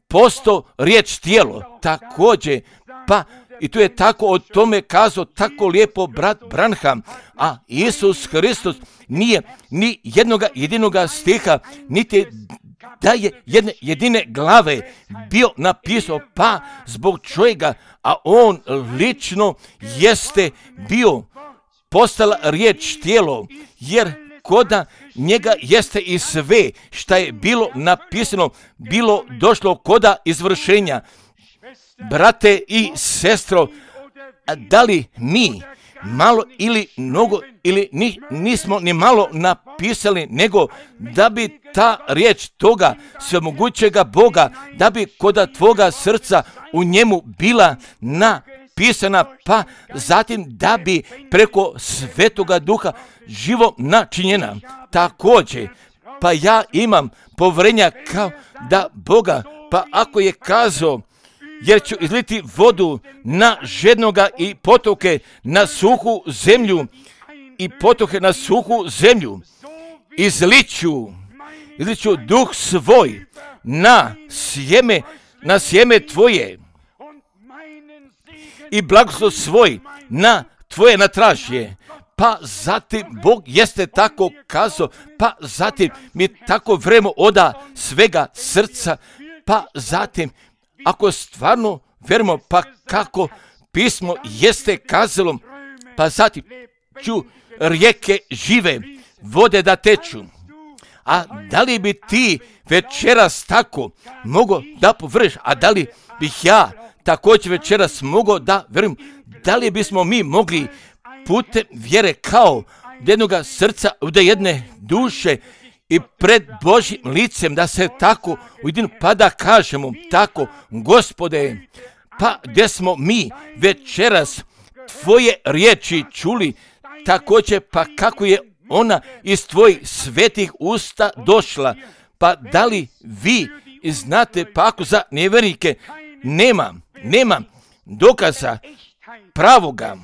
postao riječ tijelo također, pa i tu je tako o tome kazao tako lijepo brat Branham, a Isus Hristos nije ni jednoga jedinoga stiha, niti da je jedne jedine glave bio napisao, pa zbog čega, a on lično jeste bio postala riječ tijelo, jer koda njega jeste i sve šta je bilo napisano, bilo došlo koda izvršenja. Brate i sestro, da li mi malo ili mnogo ili ni, nismo ni malo napisali, nego da bi ta riječ toga svemogućega Boga, da bi koda tvoga srca u njemu bila napisana, pa zatim da bi preko Svetoga Duha živo načinjena. Također, pa ja imam povjerenja kao da Boga, pa ako je kazao, jer ću izliti vodu na žednoga i potoke na suhu zemlju i potoke na suhu zemlju. Izliću, izliću duh svoj na sjeme, na sjeme tvoje i blagoslov svoj na tvoje natražje. Pa zatim Bog jeste tako kazao, pa zatim mi tako vremo oda svega srca, pa zatim ako stvarno verimo, pa kako pismo jeste kazalo, pa zatim ću rijeke žive vode da teču. A da li bi ti večeras tako mogao da površ, a da li bih ja također večeras mogao da verujem, da li bismo mi mogli putem vjere kao jednoga srca, da jedne duše i pred Božjim licem da se tako ujedinu, pa da kažemo tako, Gospode, pa gdje smo mi večeras tvoje riječi čuli, također pa kako je ona iz tvojih svetih usta došla, pa da li vi znate, pa ako za nevjernike nema, nema dokaza pravoga,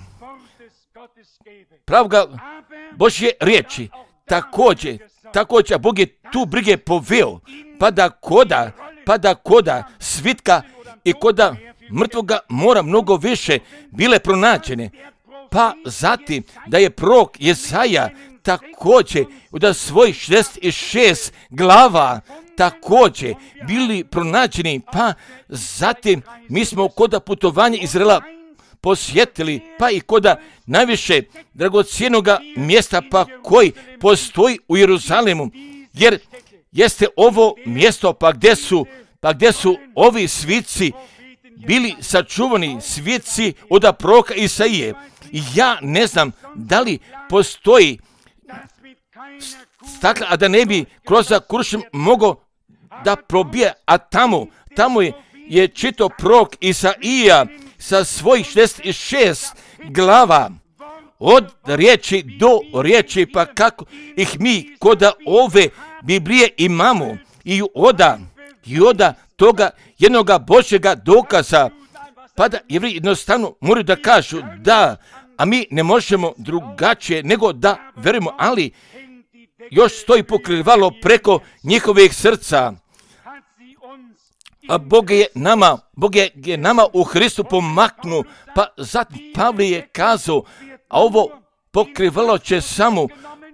pravoga Božje riječi, također, također Bog je tu brige poveo, pa da koda, pa da koda svitka i koda mrtvoga mora mnogo više bile pronađene, pa zatim da je prorok Jesaja također da svoj šezdeset šest glava također bili pronađeni, pa zatim mi smo koda putovanja Izraela posjetili, pa i koda najviše dragocjenoga mjesta, pa koji postoji u Jeruzalemu, jer jeste ovo mjesto, pa gdje su, pa gdje su ovi svici bili sačuvani, svici od proroka Isaije. Ja ne znam da li postoji stakla, a da ne bi kroz kuršem mogao da probije, a tamo, tamo je, je čito prorok Isaija sa svojih šezdeset šest glava, od riječi do riječi, pa kako ih mi koda ove Biblije imamo, i oda, i oda toga jednoga Božjega dokaza, pa da Jevreji jednostavno moraju da kažu da, a mi ne možemo drugačije nego da verujemo, ali još stoji pokrivalo preko njihovih srca. A Bog je nama, Bog je, je nama u Hristu pomaknu, pa zatim Pavle je kazao, a ovo pokrivalo će samo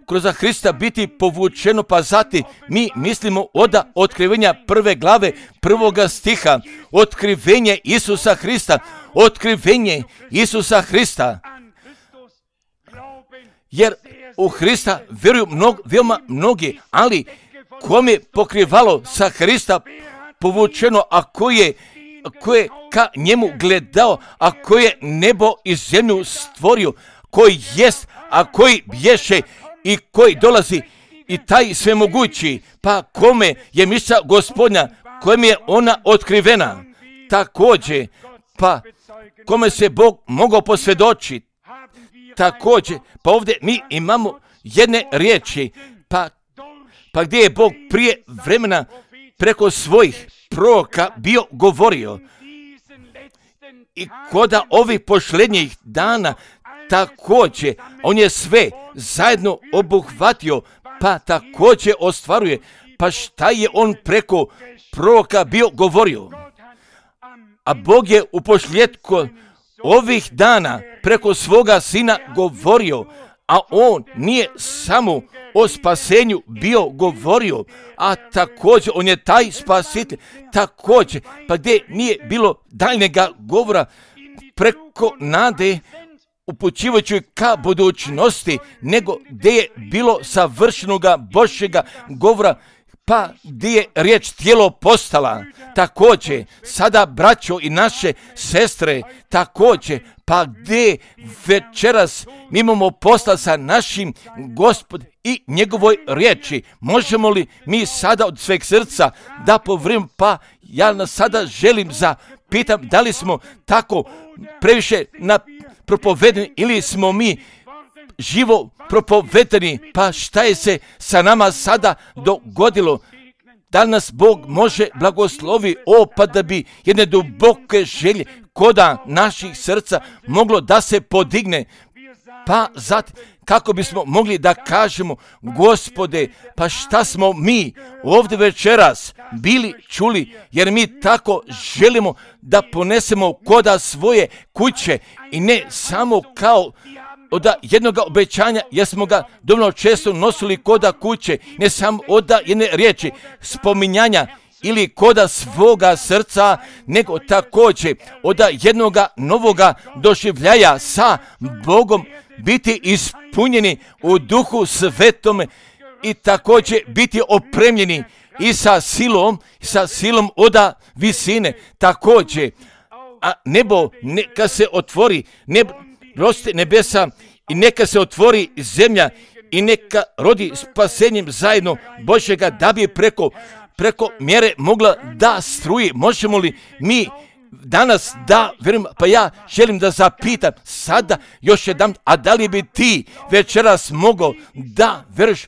kroz Hrista biti povučeno, pa zatim mi mislimo od otkrivenja prve glave prvoga stiha, otkrivenje Isusa Hrista, otkrivenje Isusa Hrista, jer u Hrista vjeruju mnog, veoma mnogi, ali kom je pokrivalo sa Hrista povučeno, a ko je, ko je ka njemu gledao, a ko je nebo i zemlju stvorio, koji jest, a koji bješe i koji dolazi, i taj svemogući, pa kome je misla Gospodnja, kojem je ona otkrivena, također, pa kome se Bog mogao posvjedočiti, također, pa ovdje mi imamo jedne riječi, pa, pa gdje je Bog prije vremena preko svojih proroka bio govorio, i koda ovih posljednjih dana također on je sve zajedno obuhvatio, pa također ostvaruje, pa šta je on preko proroka bio govorio. A Bog je u posljedku ovih dana preko svoga sina govorio, a on nije samo o spasenju bio govorio, a također on je taj spasitelj, također, pa gdje nije bilo daljnjega govora preko nade, upućivajući ka budućnosti, nego gdje je bilo savršenoga Božjega govora, pa gdje je riječ tijelo postala. Također, sada braćo i naše sestre, također, pa gdje večeras mi imamo posla sa našim Gospodom i njegovoj riječi. Možemo li mi sada od sveg srca da povrim, pa ja nas sada želim zapitam da li smo tako previše na propovedeni ili smo mi živo propovedeni, pa šta je se sa nama sada dogodilo? Da nas Bog može blagoslovi, o, pa da bi jedne duboke želje koda naših srca moglo da se podigne, pa zatim kako bismo mogli da kažemo, Gospode, pa šta smo mi ovdje večeras bili čuli, jer mi tako želimo da ponesemo koda svoje kuće i ne samo kao od jednog obećanja, jer smo ga dovoljno često nosili koda kuće, ne samo od jedne riječi spominjanja ili koda svoga srca, nego također od jednoga novoga doživljaja sa Bogom, biti ispunjeni u Duhu Svetome i također biti opremljeni i sa silom, sa silom od visine. Također, a nebo neka se otvori, nebo, roste nebesa i neka se otvori zemlja i neka rodi spasenjem zajedno Božjega, da bi preko, preko mjere mogla da struji. Možemo li mi danas da, verujem, pa ja želim da zapitam sada još jedan, a da li bi ti večeras mogao da veruješ,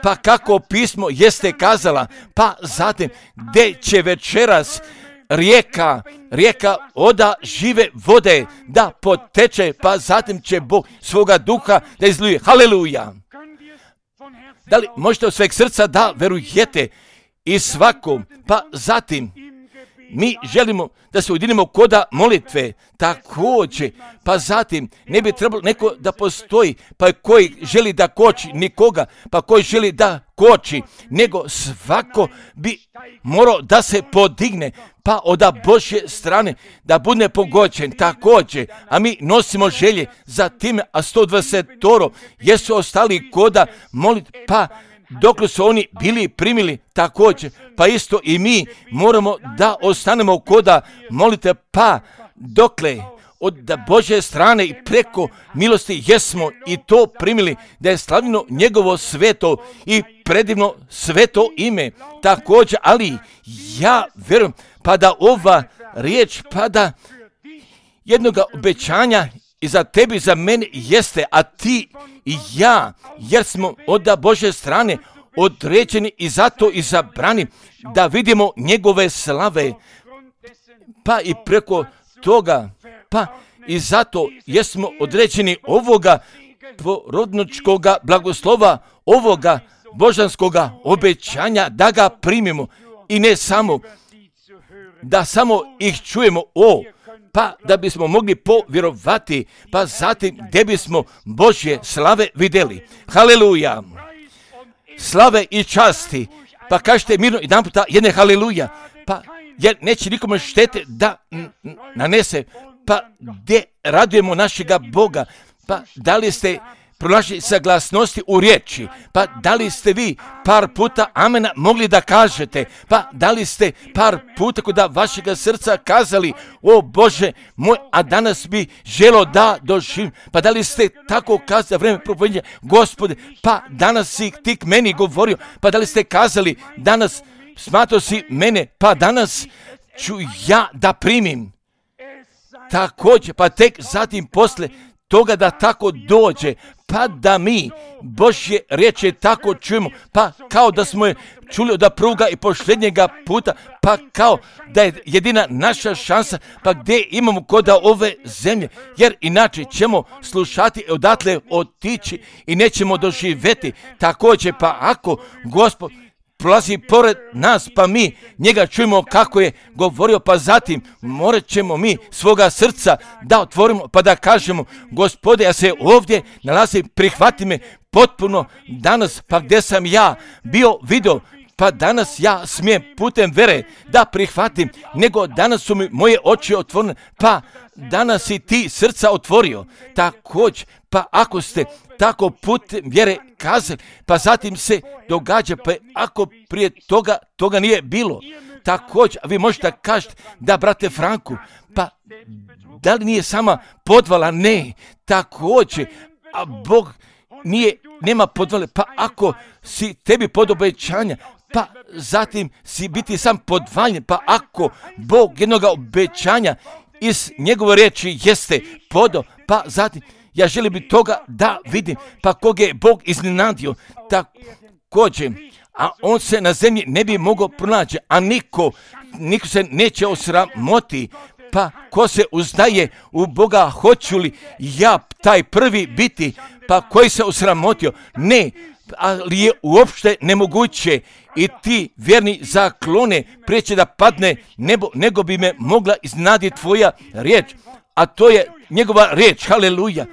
pa kako pismo jeste kazala, pa zatim gdje će večeras rijeka, rijeka oda žive vode da poteče, pa zatim će Bog svoga duha da izlije. Haleluja! Da li možete od sveg srca da verujete i svakom, pa zatim mi želimo da se ujedinimo koda molitve, također, pa zatim ne bi trebalo neko da postoji, pa koji želi da koči nikoga, pa koji želi da koči, nego svako bi morao da se podigne, pa od Božje strane da bude pogođen također, a mi nosimo želje za time, a sto dvadeset jesu ostali koda molitve, pa dok su oni bili primili također, pa isto i mi moramo da ostanemo koda molite, pa dokle od Božje strane i preko milosti jesmo i to primili, da je slavljeno njegovo sveto i predivno sveto ime također, ali ja verujem pa da ova riječ, pa da jednoga obećanja i za tebi i za mene jeste, a ti i ja, jer smo od Božje strane određeni i zato izabrani da vidimo njegove slave, pa i preko toga, pa i zato jesmo određeni ovoga porodničkoga blagoslova, ovoga božanskoga obećanja da ga primimo i ne samo da samo ih čujemo, o, pa da bismo mogli povjerovati, pa zatim gdje bismo Božje slave vidjeli. Haleluja! Slave i časti, pa kažete mirno jedan puta jedne haleluja, pa jer neće nikome štete da nanese, pa gdje radujemo našega Boga, pa da li ste pronašli saglasnosti u riječi, pa da li ste vi par puta amena mogli da kažete, pa da li ste par puta kod vašega srca kazali, o Bože moj, a danas bi želo da doživim, pa da li ste tako kazali vreme propovedanja, Gospode, pa danas si ti k meni govorio, pa da li ste kazali danas smatrao si mene, pa danas ću ja da primim. Također, pa tek zatim posle toga da tako dođe, pa da mi Božje riječi tako čujemo, pa kao da smo je čuli od pruga i posljednjega puta, pa kao da je jedina naša šansa, pa gdje imamo koda ove zemlje, jer inače ćemo slušati i odatle otići i nećemo doživjeti. Također, pa ako Gospod prolazi pored nas, pa mi njega čujemo kako je govorio, pa zatim morat ćemo mi svoga srca da otvorimo, pa da kažemo, Gospode, ja se ovdje nalazim, prihvati me potpuno danas, pa gdje sam ja bio video, pa danas ja smijem putem vere da prihvatim, nego danas su mi moje oči otvorene, pa danas si ti srca otvorio. Također, pa ako ste tako putem vjere kazali, pa zatim se događa, pa ako prije toga, toga nije bilo. Također, vi možete kažete da, brate Franku, pa da li nije sama podvala? Ne, također, a Bog nije, nema podvale, pa ako si tebi pod obećanja, pa zatim si biti sam podvaljen, pa ako Bog jednog obećanja iz njegove riječi jeste podo, pa zatim ja želim bi toga da vidim, pa koga je Bog iznenadio, također, a on se na zemlji ne bi mogao pronaći, a niko, niko se neće osramoti, pa ko se uzdaje u Boga, hoću li ja taj prvi biti, pa koji se osramotio? Ne, ali je uopšte nemoguće i ti vjerni zaklone prijeće da padne nebo, nego bi me mogla iznaditi tvoja riječ, a to je njegova riječ, haleluja.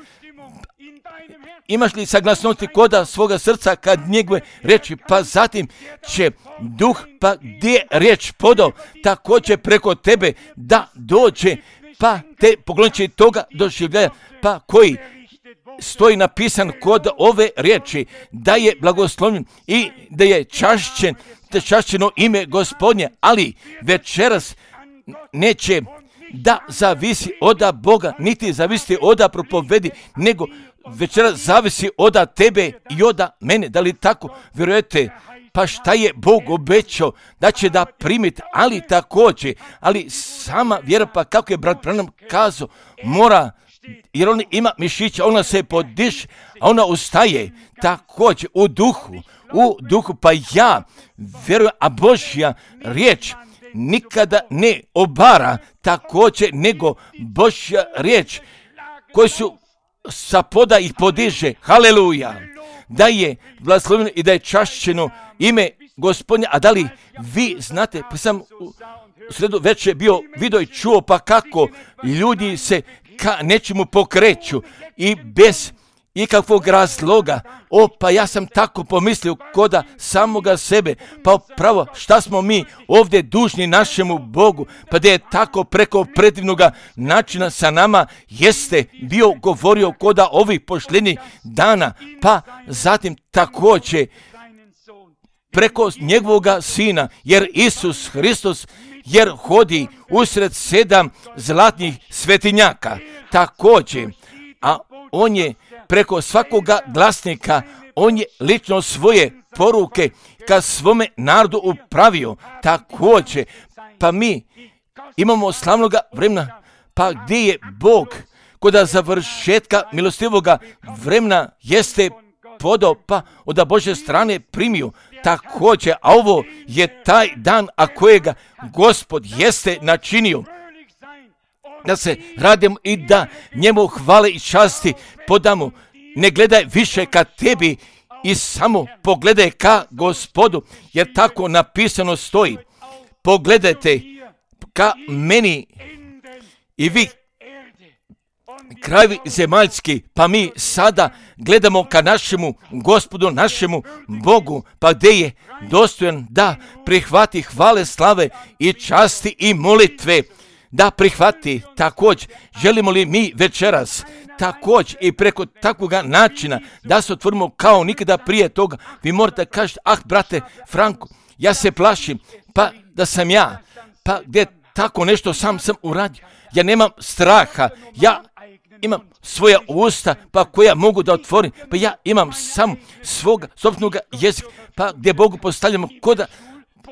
Imaš li saglasnosti koda svoga srca kad njegove riječi, pa zatim će duh, pa gdje je riječ podao, tako će preko tebe da dođe, pa te pokloniče toga doživljaja, pa koji stoji napisan kod ove riječi, da je blagoslovljen i da je čašćen, da čašćeno ime Gospodnje, ali večeras neće da zavisi od Boga, niti zavisi od propovedi, nego večeras zavisi od tebe i od mene. Da li tako vjerujete? Pa šta je Bog obećao da će da primiti, ali također, ali sama vjera, pa kako je brat Branham kazao, mora, jer on ima mišića, ona se podiše, a ona ustaje također u duhu, u duhu, pa ja vjerujem, a Božja riječ nikada ne obara, također, nego Božja riječ koji su sa poda ih podiže, haleluja, da je blagoslovljeno i da je čašćeno ime Gospodnje. A da li vi znate, pa sam u sredu večer bio vidio i čuo, pa kako ljudi se ka nečemu pokreću i bez ikakvog razloga. O, pa ja sam tako pomislio koda samoga sebe, pa pravo šta smo mi ovdje dužni našemu Bogu, pa da je tako preko predivnoga načina sa nama jeste bio govorio koda ovih posljednjih dana, pa zatim također preko njegovoga sina, jer Isus Hristos jer hodi usred sedam zlatnih svetinjaka, također, a on je preko svakoga glasnika, on je lično svoje poruke ka svome narodu upravio, također, pa mi imamo slavnoga vremena, pa gdje je Bog koda završetka milostivoga vremena jeste podao, pa od Božje strane primio, također, a ovo je taj dan, a kojega Gospod jeste načinio, da se radimo i da njemu hvale i časti podamo. Ne gledaj više ka tebi i samo pogledaj ka Gospodu, jer tako napisano stoji. Pogledajte ka meni i vi krajevi zemaljski, pa mi sada gledamo ka našemu Gospodu, našemu Bogu, pa gdje je dostojan da prihvati hvale, slave i časti i molitve, da prihvati. Također, želimo li mi večeras također i preko takvog načina da se otvorimo kao nikada prije toga? Vi morate kažete, ah brate Franko, ja se plašim, pa da sam ja, pa gdje tako nešto sam sam uradio, ja nemam straha, ja imam svoja usta, pa koja mogu da otvorim, pa ja imam sam svoga sobstvenog jezika, pa gdje Bogu postavljamo koda,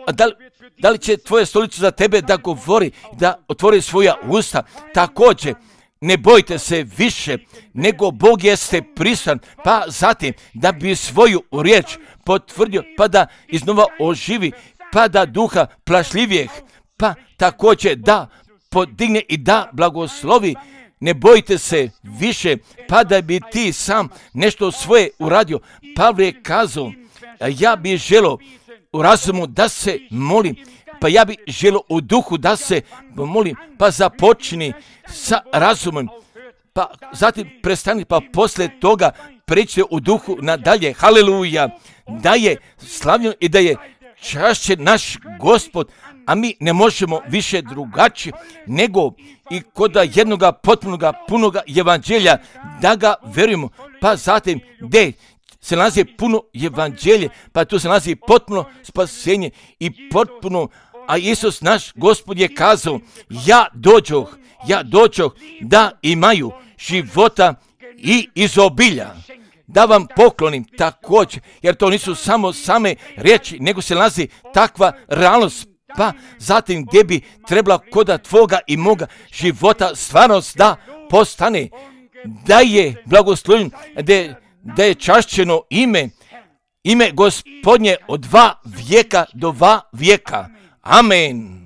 a da li, da li će tvoja stolica za tebe da govori, da otvori svoja usta? Također, ne bojte se više, nego Bog jeste prisutan, pa zatim da bi svoju riječ potvrdio, pa da iznova oživi, pa da duha plašljivijeg, pa također da podigne i da blagoslovi. Ne bojte se više, pa da bi ti sam nešto svoje uradio. Pavle je kazao, ja bih želio u razumu da se molim, pa ja bi želio u duhu da se molim, pa započni sa razumom, pa zatim prestani, pa poslije toga pređite u duhu nadalje. Haleluja, da je slavljen i da je čašćen naš Gospod, a mi ne možemo više drugačije nego i kod jednoga potpunoga punoga evanđelja da ga verujemo, pa zatim gdje se nalazi puno evanđelje, pa tu se nalazi potpuno spasenje i potpuno, a Isus naš Gospod je kazao, ja dođoh, ja dođoh da imaju života i izobilja, da vam poklonim također, jer to nisu samo same riječi, nego se nalazi takva realnost, pa zatim gdje bi trebala koda tvoga i moga života stvarnost da postane, da je blagoslovljen, da je, da je čašćeno ime, ime Gospodnje od dva vijeka do dva vijeka. Amen.